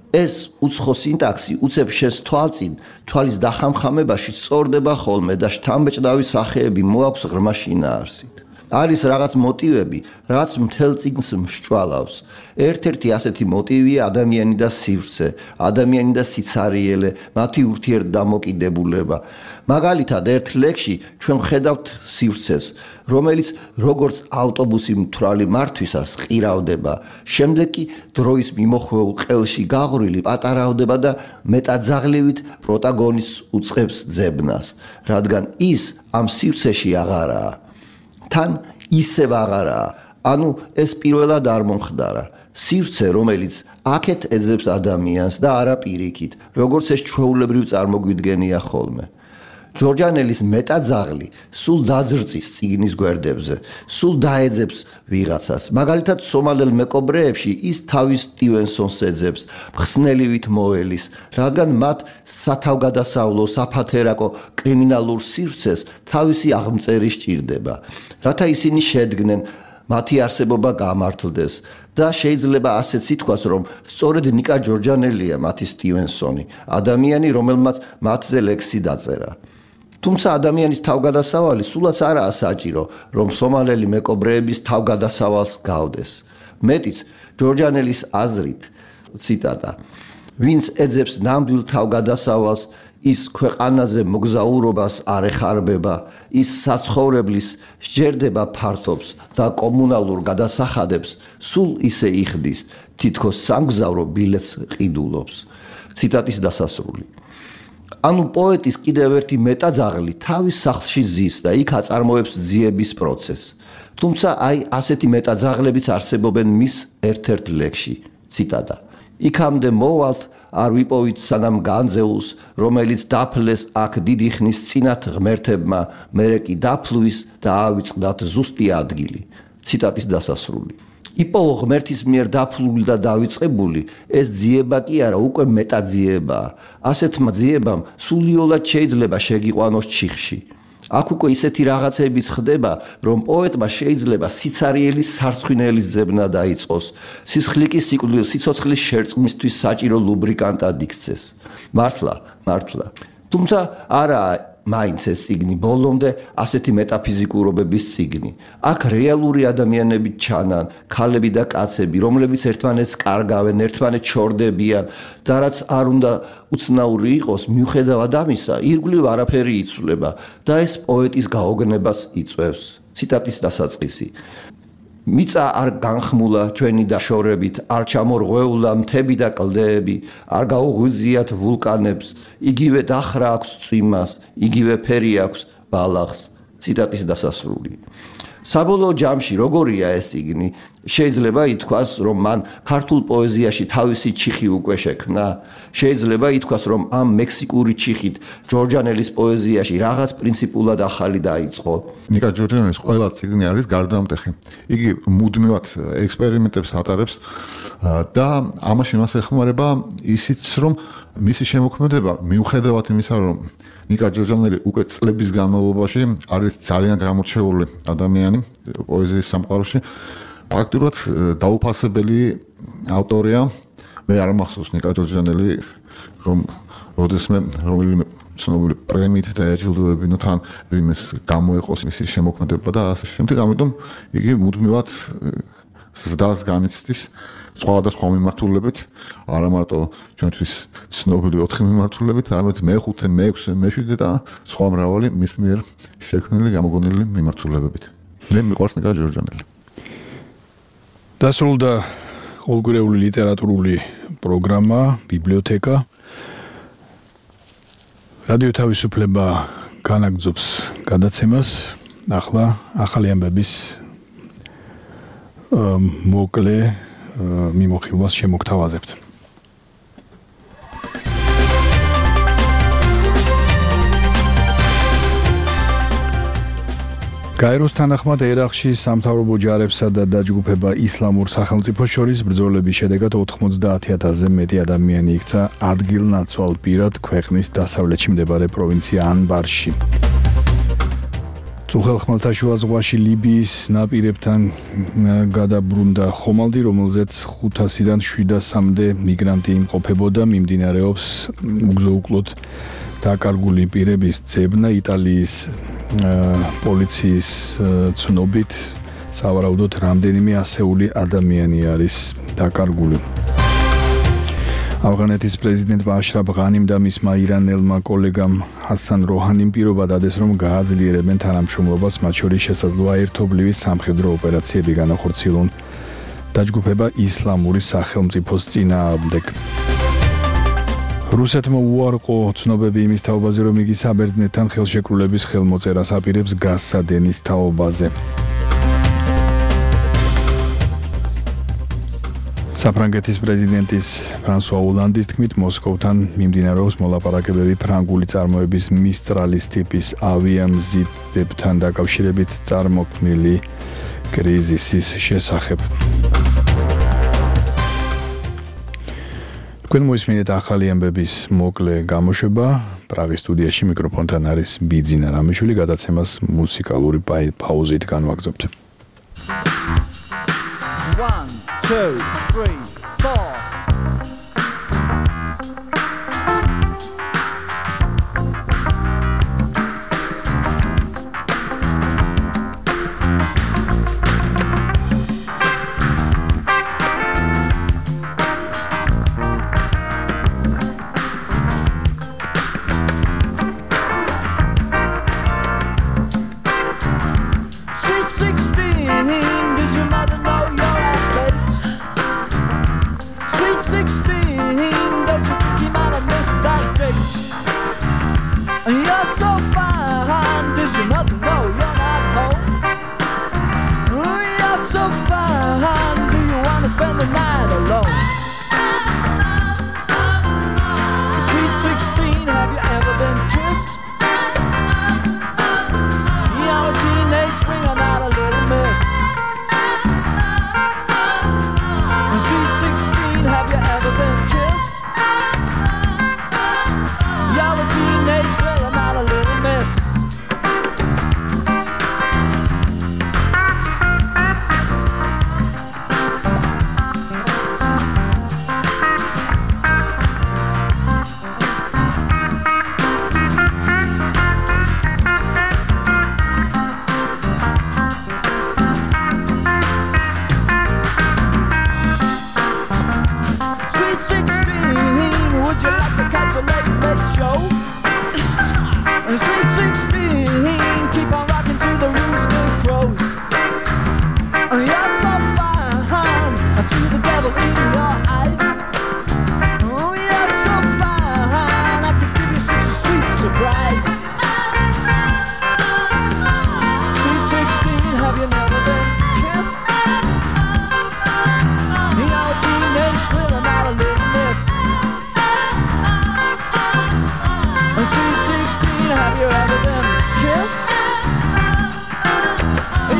ეს უცხო სინტაქსი უცებ შესთვალწინ თვალის დახამხამებაში სწორდება ხოლმე და შთამბეჭდავი სახეები მოაქვს ღრმა შინაარსით. არის რაღაც მოტივები, რაც მთელ წიგნს მსჭვალავს. ერთ-ერთი ასეთი მოტივია ადამიანი და სივრცე, ადამიანი და სიცარიელე, მათი ურთიერთდამოკიდებულება. მაგალითად, ერთ ლექსში ჩვენ ხედავთ სივრცეს, რომელიც როგორც ავტობუსი მთვრალი მართვისას ყირავდება, შემდეგ კი დროის მიმოხვეულ ყელში გაღვრილი პატარავდება და მეტაძაღლივით პროტაგონისტს უწყებს ძებნას, რადგან ის ამ სივრცეში აღარაა. თან ისევ აღარაა, ანუ ეს პირველად არ მომხდარა. სივრცე, რომელიც აქეთ ეძებს ადამიანს და არა პირიქით, როგორც ეს ჩვეულებრივ წარმოგვიდგენია ხოლმე. ჯორჯანელის მეტაძაღლი სულ დაძრწის წიგნის გვერდებზე, სულ დაეძებს ვიღაცას. მაგალითად, სომალელ მეკობრეებში ის თავის სტივენსონს ეძებს, მხსნელივით მოელის, რადგან მათ სათავგადასავლო, საფათერაკო კრიმინალურ სივრცეს თავისი აღმწერი სჭირდება, რათა ისინი შედგნენ მათი არსებობა გამართლდეს და შეიძლება ასეც ითქვას, რომ სწორედ ნიკა ჯორჯანელია მათი სტივენსონი, ადამიანი, რომელმაც მათზე ლექსი დაწერა. თუმცა ადამიანის თავგადასავალი სულაც არაა საჭირო, რომ სომალელი მეკობრეების თავგადასავალს გავდეს. მეტიც, ჯორჯანელის აზრით, ციტატა, ვინც ეძებს ნამდვილ თავგადასავალს, ის ქვეყანაზე მოგზაურობას არ ეხარბება, ის საცხოვრებლის სჯერდება ფართობს და კომუნალურ გადასახადებს სულ ისე იხდის, თითქოს სამგზავრო ბილეთს ყიდულობს. ციტატის დასასრული. ანუ პოეტის კიდევ ერთი მეტაძაღლი თავის სახლში ზის და იქ აწარმოებს ძიების პროცესს. თუმცა აი ასეთი მეტაძაღლებიც არსებობენ მის ერთ-ერთ ლექსში. ციტატა. იქამდე მოვალთ, არ ვიპოვით სანამ განძეულს, რომელიც დაფლეს აქ დიდი ხნის წინათ ღმერთებმა, მერე კი დაფლვის და ავიწყდათ ზუსტი ადგილი. ციტატის დასასრული. იპოვო ღმერთის მიერ დაფლული და დავიწყებული, ეს ძიება კი არა, უკვე მეტაძიებაა. ასეთმა ძიებამ სულიოლად შეიძლება შეგიყვანოს ჩიხში. აქ უკვე ისეთი რაღაცებიც ხდება, რომ პოეტმა შეიძლება სიცარიელის სარცხვინელის ძებნა დაიწყოს, სისხლიკის სიცოცხლის შერწყმისთვის საჭირო ლუბრიკანტად იქცეს. მართლა, მართლა. თუმცა არაა მაინც ეს წიგნი ბოლომდე ასეთი მეტაფიზიკურობების წიგნი. აქ რეალური ადამიანები ჩანან, ქალები და კაცები, რომლებიც ერთმანეთს კარგავენ, ერთმანეთს ჩორდებიან და რაც არ უნდა უცნაური იყოს, მიუხედავად ამისა, ირგვლივ არაფერი იცვლება და ეს პოეტის გაოგნებას იწვევს. ციტატის დასაწყისი. მიწა არ განხმულა ჩვენი დაშორებით, არ ჩამორღვეულა მთები და კლდეები, არ გაუღვიძიათ ვულკანებს, იგივე დახრა აქვს წვიმას, იგივე ფერი აქვს ბალახს. ციტატის დასასრული. საბოლოო ჯამში როგორია ეს წიგნი? შეიძლება ითქვას, რომ მან ქართულ პოეზიაში თავისი ჩიხი უკვე შექმნა. შეიძლება ითქვას, რომ ამ მექსიკური ჩიხით ჯორჯანელის პოეზიაში რაღაც პრინციპულად ახალი დაიწყო. ნიკა ჯორჯანელის ყველა წიგნი არის გარდამტეხი. იგი მუდმივად ექსპერიმენტებს ატარებს და ამაში მას ეხმარება ისიც, რომ მისი შემოქმედება მიუხედავად იმისა, რომ ნიკა ჯორჯანელი უკვე წლების განმავლობაში არის ძალიან გამორჩეული ადამიანი პოეზიის სამყაროში. ფაქტურად დაუფასებელი ავტორია. მე არ მახსოვს ნიკა ჯორჯანელი, რომ როდესმე რომელიმე ცნობილი პრემიით დააჯილდოებინო თან იმის გამოეყოს მისი შემოქმედება და ასე შემდეგ. ამიტომ იგი მუდმივად ზრდას განიცდის სხვადასხვა მიმართულებით, არა მარტო ჩვენთვის ცნობილი ოთხი მიმართულებით, არამედ მეხუთე, მეექვსე, მეშვიდე და სხვა მრავალი მის მიერ შექმნილი გამოგონილი მიმართულებებით. მე მიყვარს ნიკა ჯორჯანელი. დასრულდა ყოველგვარეული ლიტერატურული პროგრამა, ბიბლიოთეკა. რადიო თავისუფლება განაგრძობს გადაცემას. ახლა ახალი ამბების მოკლე მიმოხილვას შემოგთავაზებთ. გაეროს თანახმად ერაყში სამთავრობო ჯარებსა და დაჯგუფება ისლამურ სახელმწიფოს შორის ბრძოლების შედეგად ოთხმოცდაათი ათასზე მეტი ადამიანი იქცა ადგილნაცვალ პირად ქვეყნის დასავლეთში მდებარე პროვინცია ანბარში. წუხელ ხმელთაშუა ზღვაში ლიბიის ნაპირებთან გადაბრუნდა ხომალდი, რომელზეც ხუთასიდან შვიდასამდე მიგრანტი იმყოფებოდა, მიმდინარეობს უგზო-უკლოდ დაკარგული პირების ძებნა. იტალიის პოლიციის ცნობით სავარაუდოდ რამდენიმე ასეული ადამიანი არის დაკარგული. ავღანეთის პრეზიდენტმა აშრაფ ღანიმ და მისმა ირანელმა კოლეგამ ჰასან როჰანიმ პირობა დადეს, რომ გააძლიერებენ თანამშრომლობას, მათ შორის შესაძლოა ერთობლივი სამხედრო ოპერაციები განახორციელონ დაჯგუფება ისლამური სახელმწიფოს წინააღმდეგ. რუსეთმა უარყო ცნობები იმის თაობაზე, რომ იგი საბერძნეთთან ხელშეკრულების ხელმოწერას აპირებს გაზსა დენის თაობაზე. საფრანგეთის პრეზიდენტის ფრანსუა ოლანდის თქმით, მოსკოვთან მიმდინარეობს მოლაპარაკებები ფრანგული წარმოების მისტრალის ტიპის ავიამზიდებთან დაკავშირებით წარმოქმნილი კრიზისის შესახებ. თქვენ მოისმინეთ ახალი ამბების მოკლე გამოშვება. პრაღის სტუდიაში მიკროფონთან არის ბიძინა რამიშვილი, გადაცემას მუსიკალური პაუზით განვაგრძობთ. one two three four Sweet sixteen, does your mother know you're at late? Sweet sixteen, don't you think you might have missed that date? You're so fine, does your mother know you're not home? You're so fine, do you want to spend the night alone? Sweet sixteen, have you ever been kissed? You're a teenage swinger, not a little miss. Sweet sixteen, have you ever been kissed? You're a teenage thriller, not a little miss. Sweet sixteen, would you like to catch a late night show? Sweet sixteen, keep on rocking to the rooster crows. You're so fine, I see the devil in your eyes. Oh, you're so fine, I could give you such a sweet surprise. Sweet sixteen, have you never been kissed? You're a teenage thriller, not a little miss. Sweet sixteen, have you ever been kissed?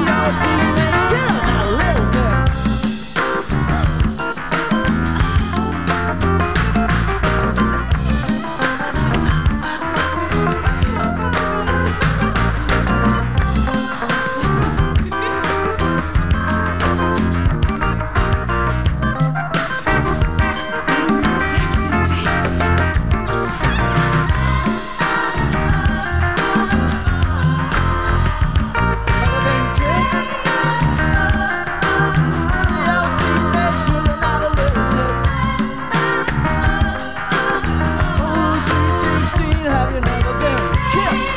You're a teenage killer, not a little miss. Ever been kissed? You're a teenage thriller, not a little miss. Oh, sweet sixteen, have you never been kissed?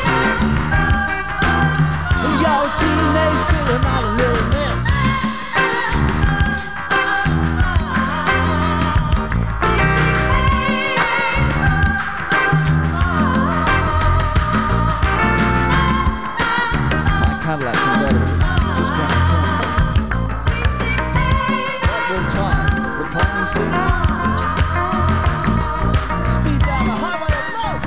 You're a teenage thriller, not a little miss. My Cadillac convertible just got a corner. Time, reclining seats. Speed down the highway of love.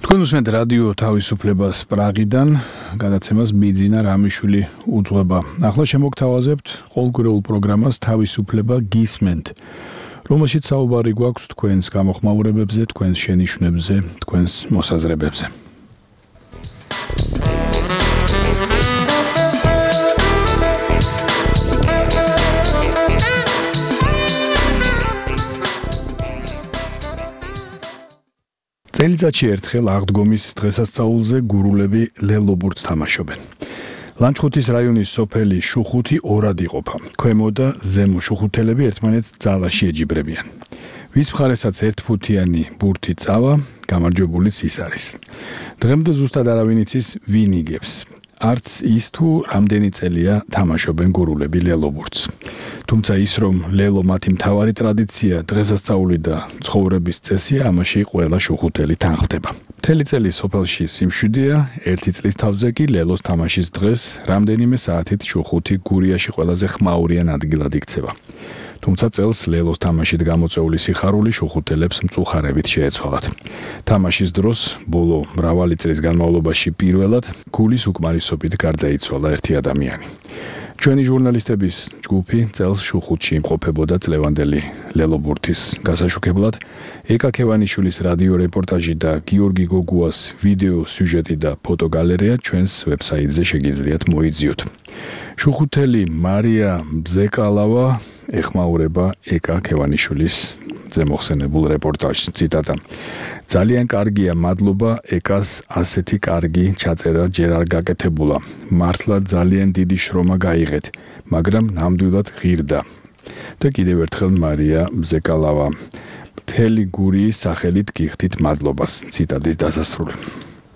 თქვენ უსმენთ რადიო თავისუფლებას პრაღიდან, გადაცემას ბიძინა რამიშვილი უძღვება. ახლა შემოგთავაზებთ ყოველკვირეულ პროგრამას თავისუფლება გისმენთ, რომელშიც საუბარი გვაქვს თქვენს გამოხმაურებებზე, თქვენს შენიშვნებზე, თქვენს მოსაზრებებზე. წელიწადში ერთხელ აღდგომის დღესასწაულზე გურულები ლელობურთს თამაშობენ. ლანჩხუთის რაიონის სოფელი შუხუთი ორად იყოფა. ქვემო და ზემო შუხუთელები ერთმანეთს ძალაში ეჯიბრებიან. ვის მხარესაც ერთფუთიანი ბურთი წავა, გამარჯვებულიც ის არის. დღემდე ზუსტად არავინ იცის ვინ იგებს. არც ის თუ რამდენი წელია თამაშობენ გურულები ლელობურთს. თუმცა ის რომ ლელო მათი მთავარი ტრადიცია, დღესასწაული და ცხოვრების წესია, ამაში ყველა შუხუთელი თანხდება. მთელი წელი სოფელში სიმშვიდეა, ერთი წლის თავზე კი ლელოს თამაშის დღეს რამდენიმე საათით შუხუთი გურიაში ყველაზე ხმაურიან ადგილად იქცევა. თუმცა წელს ლელოს თამაშით გამოწვეული სიხარული შუხუთელებს მწუხარებით შეეცვალათ. თამაშის დროს ბოლო მრავალი წლის განმავლობაში პირველად გულის უკმარისობით გარდაიცვალა ერთი ადამიანი. ჩვენი ჟურნალისტების ჯგუფი წელს შუხუთში იმყოფებოდა წლევანდელი ლელობურთის გასაშუქებლად. ეკა ქევანიშვილის რადიო რეპორტაჟი და გიორგი გოგუას ვიდეო სიუჟეტი და ფოტოგალერეა ჩვენს ვებსაიტზე შეგიძლიათ მოიძიოთ. შუხუთელი მარია ბზეკალავა ეხმაურება ეკა ქევანიშვილის ზემოხსენებულ რეპორტაჟს. ციტატა: ძალიან კარგია, მადლობა ეკას, ასეთი კარგი ჩაწერა ჯერ არ გაკეთებულა. მართლა ძალიან დიდი შრომა გაიღეთ, მაგრამ ნამდვილად ღირდა. და კიდევ ერთხელ მარია ბზეკალავა. მთელი გურიის სახელით გიხდით მადლობას. ციტატის დასასრული.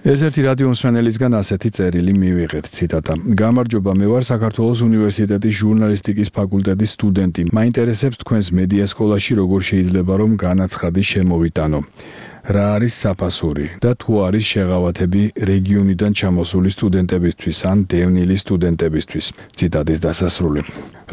ერთ-ერთი რადიო მსმენელისგან ასეთი წერილი მივიღეთ. ციტატა: გამარჯობა, მე ვარ საქართველოს უნივერსიტეტის ჟურნალისტიკის ფაკულტეტის სტუდენტი. მაინტერესებს თქვენს მედია სკოლაში როგორ შეიძლება რომ განაცხადი შემოვიტანო. რა არის საფასური და თუ არის შეღავათები რეგიონიდან ჩამოსული სტუდენტებისთვის ან დევნილი სტუდენტებისთვის. ციტატის დასასრული.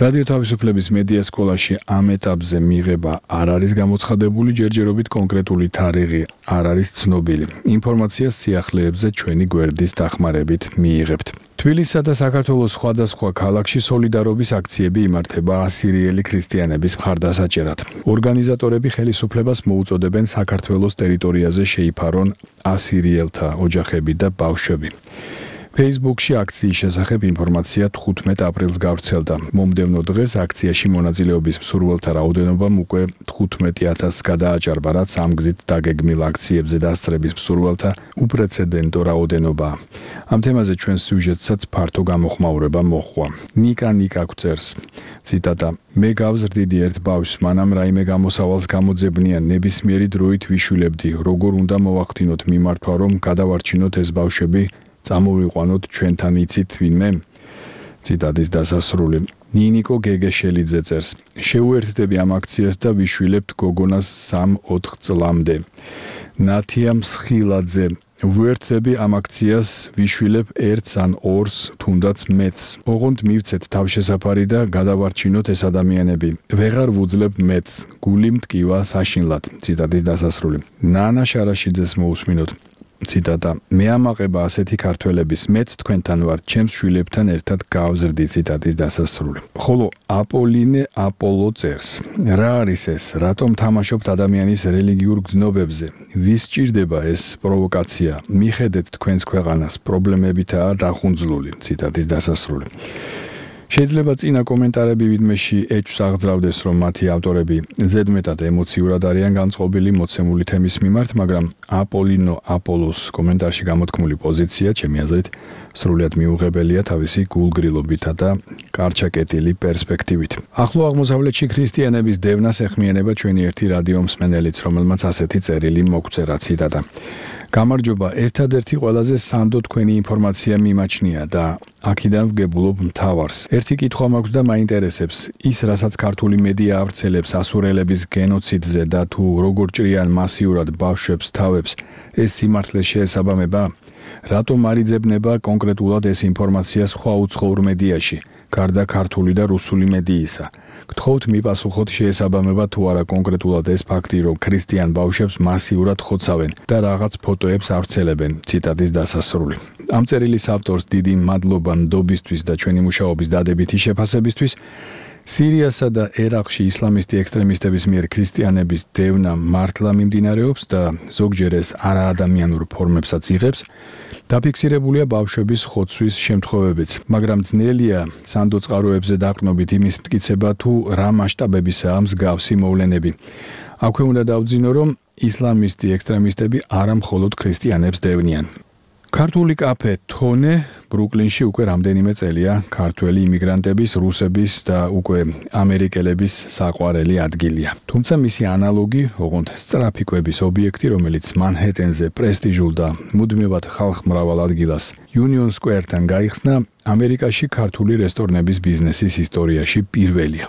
რადიო თავისუფლების მედია სკოლაში ამ ეტაპზე მიღება არ არის გამოცხადებული, ჯერჯერობით კონკრეტული თარიღი არ არის ცნობილი. ინფორმაციას სიახლეებზე ჩვენი გვერდის დახმარებით მიიღებთ. თბილისსა და საქართველოს სხვადასხვა ქალაქში სოლიდარობის აქციები იმართება ასირიელი ქრისტიანების მხარდასაჭერად. ორგანიზატორები ხელისუფლებას მოუწოდებენ საქართველოს ტერიტორიაზე შეიფარონ ასირიელთა ოჯახები და ბავშვები. Facebook-ში აქციის შესახებ ინფორმაცია თხუთმეტ აპრილს გავრცელდა. მომდევნო დღეს აქციაში მონაწილეობის მსურველთა რაოდენობამ უკვე თხუთმეტი ათასს გადააჭარბა, რაც ამ გზით დაგეგმილ აქციებზე დასწრების მსურველთა უპრეცედენტო რაოდენობაა. ამ თემაზე ჩვენ სიუჟეტსაც ფართო გამოხმაურება მოჰყვა. ნიკა ნიკა გვწერს. ციტატა: მე გავზრდიდი ერთ ბავშვს, მანამ რაიმე გამოსავალს გამოძებნიან, ნებისმიერი დროით ვიშვილებდი, როგორ უნდა მოვახდინოთ მიმართვა, რომ გადავარჩინოთ ეს ბავშვები, წამოვიყვანოთ ჩვენთან იცით ვინმე? ციტატის დასასრული. ნინიკო გეგეშელიძე წერს: შეუერთდები ამ აქციას და ვიშვილებთ გოგონას სამ-ოთხ წლამდე. ნათია მსხილაძე: ვუერთდები ამ აქციას, ვიშვილებ ერთს ან ორს, თუნდაც მეტს. ოღონდ მივცეთ თავშესაფარი და გადავარჩინოთ ეს ადამიანები. ვეღარ ვუძლებთ მეტს, გული მტკივა საშინლად. ციტატის დასასრული. ნანა შარაშიძეს მოусმინოთ. ციტატა: მე ამაყება ასეთი ქართველების, მეც თქვენთან ვარ, ჩემს შვილებთან ერთად გავზრდი. ციტატის დასასრული. ხოლო აპოლინე აპოლო წერს: რა არის ეს? რატომ თამაშობთ ადამიანის რელიგიურ გზნობებზე? ვის ჭირდება ეს პროვოკაცია? მიხედეთ თქვენს ქვეყანას, პრობლემებითაა დახუნძლული. ციტატის დასასრული. შეიძლება წინა კომენტარები ვიდმეში ეჭვს აღძრავდეს, რომ მათი ავტორები ზედმეტად ემოციურად არიან განწყობილი მოცემული თემის მიმართ, მაგრამ აპოლინო აპოლოს კომენტარში გამოთქმული პოზიცია, ჩემი აზრით, სრულიად მიუღებელია თავისი გულგრილობითა და კარჩაკეტილი პერსპექტივით. ახლო აღმოსავლეთში ქრისტიანების დევნას ეხმიანება ჩვენი ერთი რადიო მსმენელიც, რომელმაც ასეთი წერილი მოგწერა. ციტატა: გამარჯობა, ერთადერთი ყველაზე სანდო თქვენი ინფორმაცია მიმაჩნია და აქედან ვგებულობ მთავარს. ერთი კითხვა მაქვს და მაინტერესებს, ის რასაც ქართული მედია ავრცელებს ასურელების გენოციდზე და თუ როგორ ჭრიან მასიურად ბავშვებს თავებს, ეს სიმართლე შეესაბამება? რატომ არ იძებნება კონკრეტულად ეს ინფორმაცია სხვა უცხოურ მედიაში, გარდა ქართული და რუსული მედიისა? გთხოვთ მიპასუხოთ, შეესაბამება თუ არა კონკრეტულად ეს ფაქტი, რომ ქრისტიან ბავშვებს მასიურად ხოცავენ და რაღაც ფოტოებს ავრცელებენ. ციტატის დასასრული. ამ წერილის ავტორს დიდი მადლობა ნდობისთვის და ჩვენი მუშაობის დადებითი შეფასებისთვის. სირიასა და ერაყში ისლამისტი ექსტრემისტების მიერ ქრისტიანების დევნა მართლა მიმდინარეობს და ზოგჯერ ეს არაადამიანურ ფორმებსაც იღებს. დაფიქსირებულია ბავშვების ხოცვის შემთხვევებიც, მაგრამ ძნელია სანდო წყაროებზე დაყრდნობით იმის მტკიცება, თუ რა მასშტაბებისაა მსგავსი მოვლენები. აქვე უნდა დავძინო, რომ ისლამისტი ექსტრემისტები არა მხოლოდ ქრისტიანებს დევნიან. ქართული კაფე თონე ბრუკლინში უკვე რამდენიმე წელია ქართველი იმიგრანტების, რუსების და უკვე ამერიკელების საყვარელი ადგილია. თუმცა მისი ანალოგი, ოღონდ სწრაფი კვების ობიექტი, რომელიც მანჰეტენზე პრესტიჟულ და მუდმივად ხალხმრავალ ადგილას Union Square-თან გაიხსნა, ამერიკაში ქართული რესტორნების ბიზნესის ისტორიაში პირველია.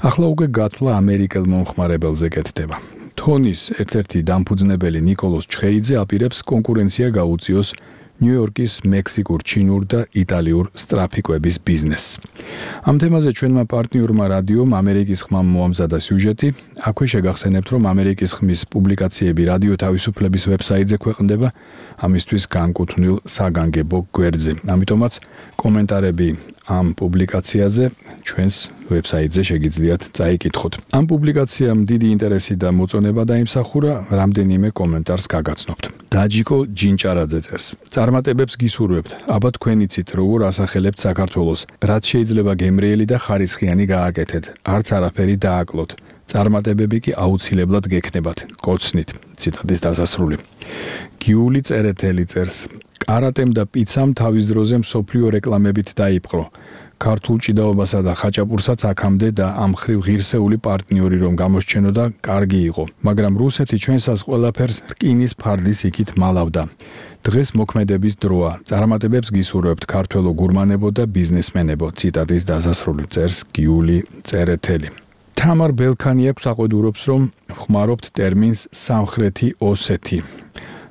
ახლა უკვე გათვლა ამერიკელ მომხმარებელზე კეთდება. თონის ერთ-ერთი დამფუძნებელი ნიკოლოზ ჩხეიძე აპირებს კონკურენცია გაუწიოს ნიუ-იორკის მექსიკურ, ჩინურ და იტალიურ სწრაფიკვების ბიზნესს. ამ თემაზე ჩვენმა პარტნიორმა რადიომ ამერიკის ხმამ მოამზადა სიუჟეტი. აქვე შეგახსენებთ, რომ ამერიკის ხმის პუბლიკაციები რადიო თავისუფლების ვებსაიტზე ქვეყნდება, ამისთვის განკუთვნილ საგანგებო გვერდზე. ამიტომაც კომენტარები ამ პუბლიკაციაზე ჩვენს ვებსაიტზე შეგიძლიათ წაიკითხოთ. ამ პუბლიკაციამ დიდი ინტერესი და მოწონება დაიმსახურა, რამდენიმე კომენტარს გაგაცნობთ. დაჯიკო ჯინჭარაძე წერს: წარმატებებს გისურვებთ, აბა თქვენ იცით, როგორ ასახელებთ საქართველოს, რაც შეიძლება გემრიელი და ხარისხიანი გააკეთეთ, არც არაფერი დააკლოთ. წარმატებები კი აუცილებლად გექნებათ. კოცნით. ციტატის დასასრული. გიული წერეთელი წერს: კარატემ და პიცამ თავის დროზე მსოფლიო რეკლამებით დაიპყრო. ქართულ ჭიდაობასა და ხაჭაპურსაც აქამდე და ამ ხრივ ღირსეული პარტნიორი რომ გამოსჩენოდა, კარგი იყო, მაგრამ რუსეთი ჩვენსას ყველაფერს რკინის ფარდის იქით მალავდა. დღეს მოქმედების დროა. წარმატებებს გისურვებთ ქართველო გურმანებო და ბიზნესმენებო. ციტატის დასასრული წერს გიული წერეთელი. თამარ ბელქანი აქვს აყვედურობს, რომ ხმარობთ ტერმინს სამხრეთი ოსეთი.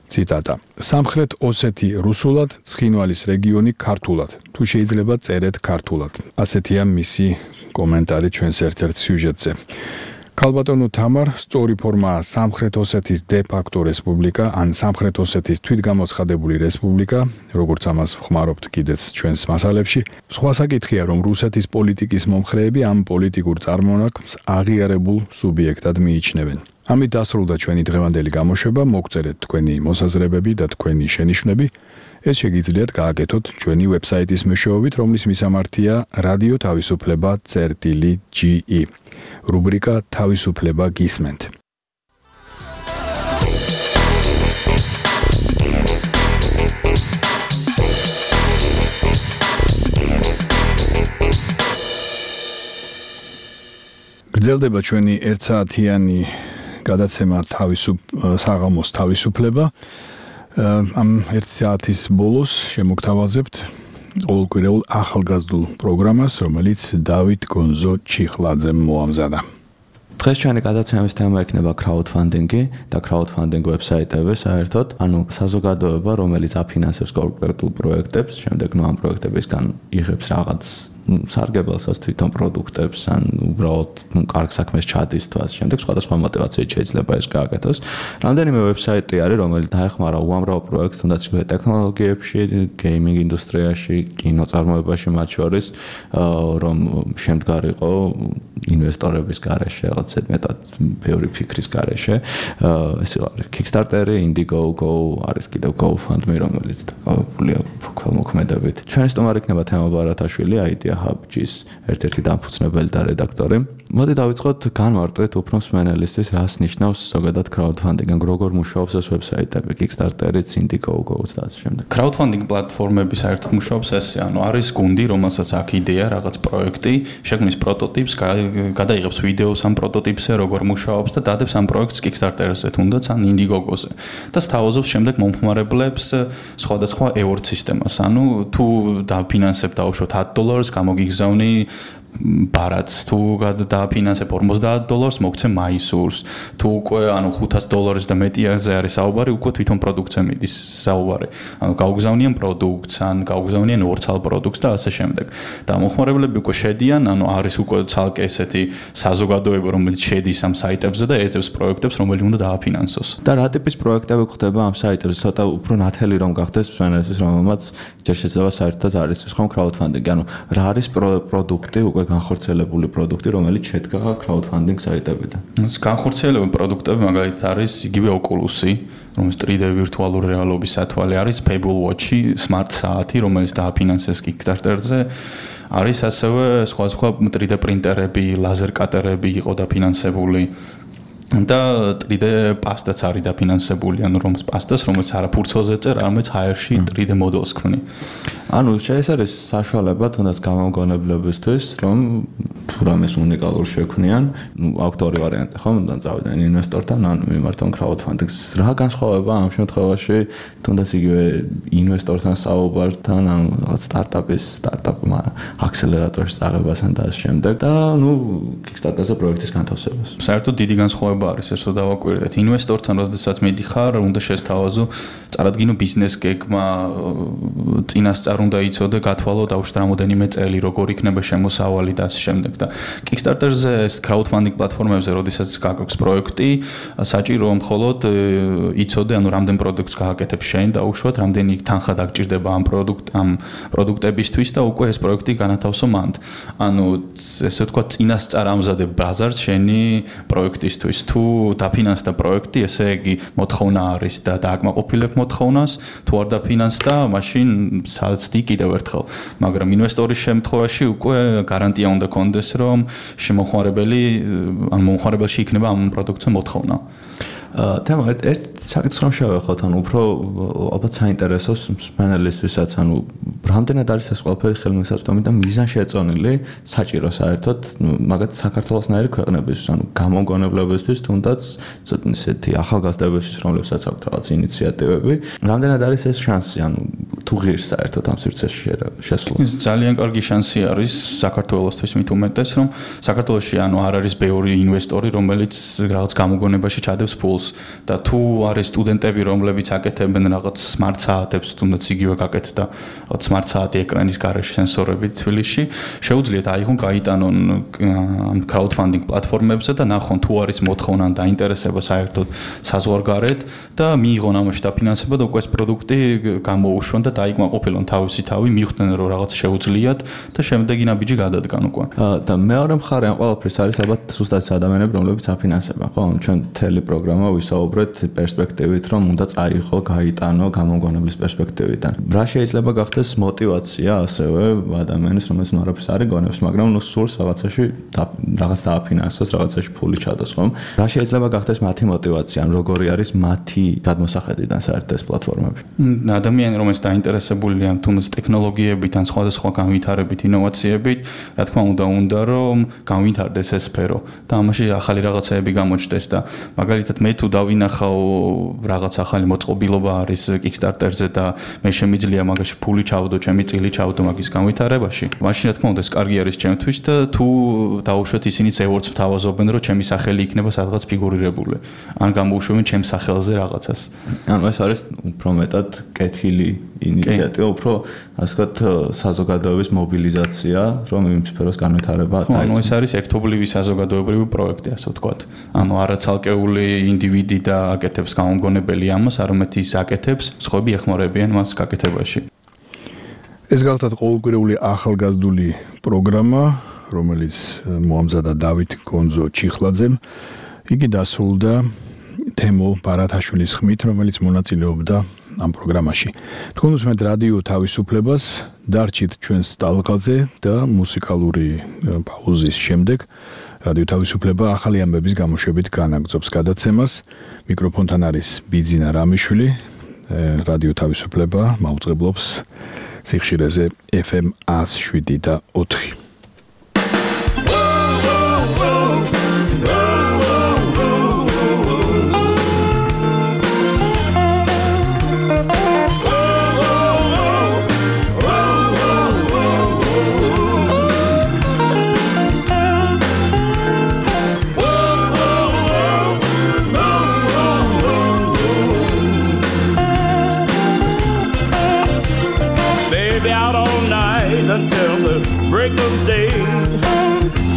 ციტატა: სამხრეთ ოსეთი რუსულად, ცხინვალის რეგიონი ქართულად. თუ შეიძლება წერეთ ქართულად. ასეთია მისი კომენტარი ჩვენს ერთ-ერთ სიუჟეტზე. ქალბატონო თამარ, სწორი ფორმაა სამხრეთ ოსეთის დე-ფაქტო რესპუბლიკა, ან სამხრეთ ოსეთის თვითგამოცხადებული რესპუბლიკა, როგორც ამას ხმარობთ კიდეც ჩვენს მასალებში. სხვა საკითხია, რომ რუსეთის პოლიტიკის მომხრეები ამ პოლიტიკურ წარმონაქმნს აღიარებულ სუბიექტად მიიჩნევენ. ამით დასრულდა ჩვენი დღევანდელი გამოშვება. მოგწერეთ თქვენი მოსაზრებები და თქვენი შენიშვნები. ეს შეგიძლიათ გააკეთოთ ჩვენი ვებსაიტის მეშვეობით, რომლის მისამართია რადიო თავისუფლება წერტილი ჯი ი. რუბრიკა თავისუფლება გისმენთ. გრძელდება ჩვენი ერთსაათიანი გადაცემა თავისუფ საღამოს თავისუფლება. ამ ერთი საათის ბოლოს შემოგთავაზებთ ყოველკვირეულ ახალგაზრდულ პროგრამას, რომელიც დავით გონზო ჩიხლაძემ მოამზადა. დღეს ჩვენი გადაცემის თემა იქნება crowdfunding-ი და crowdfunding ვებსაიტები საერთოდ, ანუ საზოგადოება, რომელიც აფინანსებს კონკრეტულ პროექტებს, შემდეგ ნუ ამ პროექტებისგან იღებს რაღაც სარგებელსაც თვითონ პროდუქტებს ან უბრალოდ კარგ საქმეს ჩადისთვას, შემდეგ სხვადასხვა мотивაციით შეიძლება ეს გააკეთოს. რამდენიმე ვებსაიტი არის, რომელიც დაეხმარა უამრავ პროექტს, თუნდაც ტექნოლოგიებში, გეიმინგ ინდუსტრიაში, კინოწარმოებაში მათ შორის, რომ შემდგარიყო ინვესტორების გარეშე, რაღაც მეტად ბევრი ფიქრის გარეშე. ეს არის Kickstarter-ი, Indiegogo, არის კიდევ GoFundMe, რომელიც დაკავებულია ქველმოქმედებით. ჩვენი სტუმარი იქნება თემა ბარათაშვილი, Idea Hub-ის ერთ-ერთი დამფუძნებელი და რედაქტორი. მოდი დავიწყოთ, განმარტოთ უფრო მსმენელისთვის, რას ნიშნავს ზოგადად crowdfunding, ან როგორ მუშაობს ეს ვებსაიტები, Kickstarter-იც, Indiegogo-ც და ასე შემდეგ. crowdfunding პლატფორმები საერთოდ მუშაობს ესე, ანუ არის გუნდი, რომელსაც აქვს იდეა, რაღაც პროექტი, შექმნის პროტოტიპს, გადაიღებს ვიდეოს ამ პროტოტიპზე, როგორ მუშაობს და დადებს ამ პროექტს Kickstarter-ზე, თუნდაც ან Indiegogo-ზე. და სთავაზობს შემდეგ მომხმარებლებს სხვადასხვა ევორდ სისტემას. ანუ თუ დაფინანსებ დაუშვოთ ათი დოლარს, გამოგიგზავნი ბარათს, თუ დააფინანსებ ორმოცდაათ დოლარს, მოგცე მაისურს. თუ უკვე ანუ ხუთასი დოლარის და მეტიაზე არის საუბარი, უკვე თვითონ პროდუქტზე მიდის საუბარი. ანუ გაუგზავნიან პროდუქტს, ან გაუგზავნიან ორცალ პროდუქტს და ასე შემდეგ. და მომხმარებლები უკვე შედიან, ანუ არის უკვე ცალკე ესეთი საზოგადოება, რომელიც შედის ამ საიტებზე და ეძებს პროექტებს, რომელი უნდა დააფინანსოს. და რა ტიპის პროექტები გვხდება ამ საიტებზე? ცოტა უფრო ნათელი რომ გახდეს მსმენელისთვის, რომელმაც ჯერ შეიძლება საერთოდ არის ეს ხომ crowdfunding, ანუ რა არის პროდუქტი, უკვე განხორციელებული პროდუქტი, რომელიც შედგა crowdfunding საიტებიდან. ეს განხორციელებული პროდუქტები მაგალითად არის იგივე Oculus-ი, რომელიც თრი დე ვირტუალური რეალობის სათვალე არის, Pebble Watch-ი, smart საათი, რომელიც დააფინანსეს Kickstarter-ზე. არის ასევე სხვა სხვა თრი დე პრინტერები, ლაზერ კატერები იყო დაფინანსებული. და три D პასტაც არის დაფინანსებული, ანუ რომ პასტას, რომელიც არა ფურცელზე წერ, არამედ ჰაერში три D მოდელს ქმნი. ანუ ეს არის საშუალება თუნდაც გამომგონებლებისთვის, რომ თუ რამეს უნიკალურ შექმნიან, ნუ აქვთ ორი ვარიანტი, ხო? მუდამ წავიდნენ ინვესტორთან, ან მიმართონ crowdfunding-ს. რა განსხვავება ამ შემთხვევაში, თუნდაც იგივე ინვესტორთან საუბართან, ან რაღაც სტარტაპის, სტარტაპმა აქსელერატორში წაღებასთან და ამ შემდეგ და ნუ Kickstarter-ზე პროექტის განთავსებას. საერთოდ დიდი განსხვავება არის ეს, რომ დავაკვირდეთ. ინვესტორთან, როდესაც მიდიხარ, უნდა შესთავაზო, წარადგინო ბიზნეს გეგმა, წინასწარ უნდა იცოდე, გათვალო დაუშვათ რამოდენიმე წელი, როგორ იქნება შემოსავალი და ასე შემდეგ და Kickstarter-ზე, crowdfunding პლატფორმებზე, როდესაც გაგაქვს პროექტი, საჭიროა მხოლოდ იცოდე, ანუ რამდენ პროდუქტს გააკეთებ შენ დაუშვათ, რამდენი თანხა დაგჭირდება ამ პროდუქტ ამ პროდუქტებისთვის და უკვე ეს პროექტი განათავსო მანდ. ანუ ესე ვთქვათ, წინასწარ ამზადებ ბაზარს შენი პროექტისთვის. თუ დაფინანსდა პროექტი, ესე იგი მოთხოვნა არის და დააკმაყოფილებ მოთხოვნას, თუ არ დაფინანსდა, მაშინ საცდი კიდევ ერთხელ. მაგრამ ინვესტორის შემთხვევაში უკვე გარანტია უნდა კონდეს, რომ შემოხმარებელი, ან მომხმარებელში იქნება ამ პროდუქტზე მოთხოვნა. თემა ერთ საკითხს რომ შევეხოთ, ანუ უფრო ალბათ საინტერესოს მსმენელისთვისაც, ანუ რამდენად არის ეს ყველაფერი ხელმისაწვდომი და მიზანშეწონილი საჭირო საერთოდ, მაგათ საქართველოსნაირი ქვეყნებისთვის, ანუ გამომგონებლებისთვის, თუნდაც ისეთი ახალგაზრდებისთვის, რომლებსაც აქვთ რაღაც ინიციატივები, რამდენად არის ეს შანსი, ანუ თუ ღირს საერთოდ ამ სივრცეში შესვლა. ეს ძალიან კარგი შანსი არის საქართველოსთვის მით უმეტეს, რომ საქართველოში ანუ არ არის ბევრი ინვესტორი, რომელიც რაღაც გამოგონებაში ჩადებს ფულს და თუ არის სტუდენტები, რომლებიც აკეთებენ რაღაც smart საათებს, თუნდაც იგივე გაკეთდა რაღაც smart საათი ეკრანის გარეშე სენსორებით თბილისში, შეუძლიათ აიღონ, გაიტანონ ამ crowdfunding პლატფორმებზე და ნახონ თუ არის მოთხოვნა და ინტერესება საერთოდ საზღვარგარეთ და მიიღონ ამაში დაფინანსება და უკვე ეს პროდუქტი გამოუშვან და დაიკმაყოფილონ თავისი თავი, მიხვდნენ რომ რაღაც შეუძლიათ და შემდეგი ნაბიჯი გადადგან უკვე. და მეორე მხარე ამ ყველაფრის არის ალბათ ზუსტად ადამიანები, რომლებიც აფინანსებენ, ხო? ჩვენ მთელი პროგრამა ვისაუბრეთ პერსპექტივით, რომ უნდა წაიღო, გაიტანო გამომგონებლის პერსპექტივიდან. რა შეიძლება გახდეს мотиваცია ასევე ადამიანის, რომელიც ნუ არაფერს არ იგონებს, მაგრამ ნუ სურს რაღაცაში რაღაც დააფინანსოს, რაღაცაში ფული ჩადოს, ხომ? რა შეიძლება გახდეს მათი мотиваცია, ან როგორი არის მათი გადმოსახედიდან საერთოდ ეს პლატფორმები? ადამიანი, რომელიც დაინტერესებულია თუნდაც ტექნოლოგიებით, ან სხვადასხვა განვითარებით, ინოვაციებით, რა თქმა უნდა, უნდა რომ განვითარდეს ეს სფერო და ამაში ახალი რაღაცეები გამოჩნდეს და მაგალითად მე თუ დავინახავ რაღაც ახალი მოწყობილობა არის Kickstarter-ზე და მე შემიძლია მაგაში ფული ჩავდო, ჩემი წილი ჩავდო მაგის განვითარებაში. მაშინ რა თქმა უნდა ეს კარგი არის ჩემთვის და თუ დაუშვათ ისინი წევრს თავაზობენ, რომ ჩემი სახელი იქნება სადღაც ფიგურირებული. ან გამოუშვებენ ჩემს სახელზე რაღაცას. ანუ ეს არის უფრო მეტად კეთილი ინიციატივა, უფრო ასე ვთქვათ საზოგადოების მობილიზაცია, რომ იმ სფეროს განვითარება დაიწყოს. ანუ ეს არის ერთობლივი საზოგადოებრივი პროექტი, ასე ვთქვათ. ანუ არა ცალკეული ინდივიდი და აკეთებს გამომგონებელი ამას, არამედ ის აკეთებს, სხვები ეხმარებიან მას გაკეთებაში. ეს გახლავთ ყოველკვირეული ახალგაზრდული პროგრამა, რომელიც მოამზადა დავით გონძო ჩიხლაძემ. იგი დასრულდა თემო ბარათაშვილის ხმით, რომელიც მონაწილეობდა ამ პროგრამაში. თქვენ უსმენთ რადიო თავისუფლებას, დარჩით ჩვენს ტალღაზე და მუსიკალური პაუზის შემდეგ რადიო თავისუფლება ახალი ამბების გამოშვებით განაგრძობს გადაცემას. მიკროფონთან არის ბიძინა რამიშვილი. რადიო თავისუფლება მაუწყებლობს სიხშირეზე ეფ ემ one oh seven და ოთხი.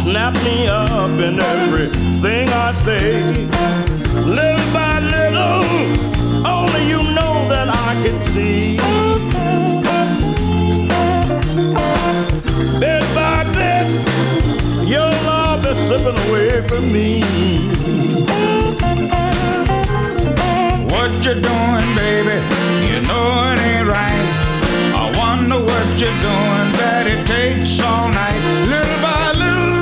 Snap me up in everything I say. Little by little, only you know that I can see. Bit by bit, your love is slipping away from me. What you doing, baby? You know it ain't right. I wonder what you're doing, that it takes all night. Little by little,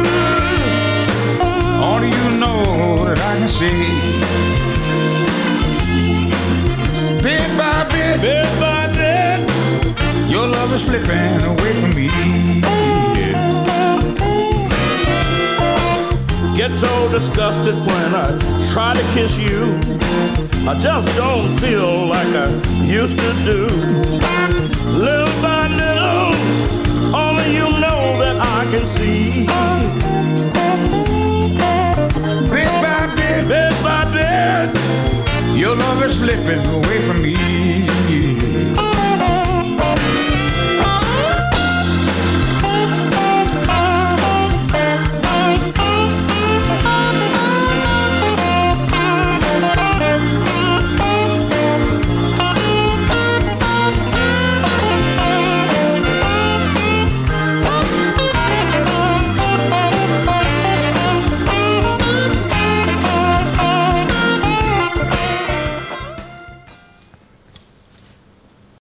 all you know that I can say. Bit by bit, bit by bit, your love is slipping away from me. Get so disgusted when I try to kiss you. I just don't feel like I used to do. Little by little, only you know that I can see. Bit by bit, bit by bit, your love is slipping away from me.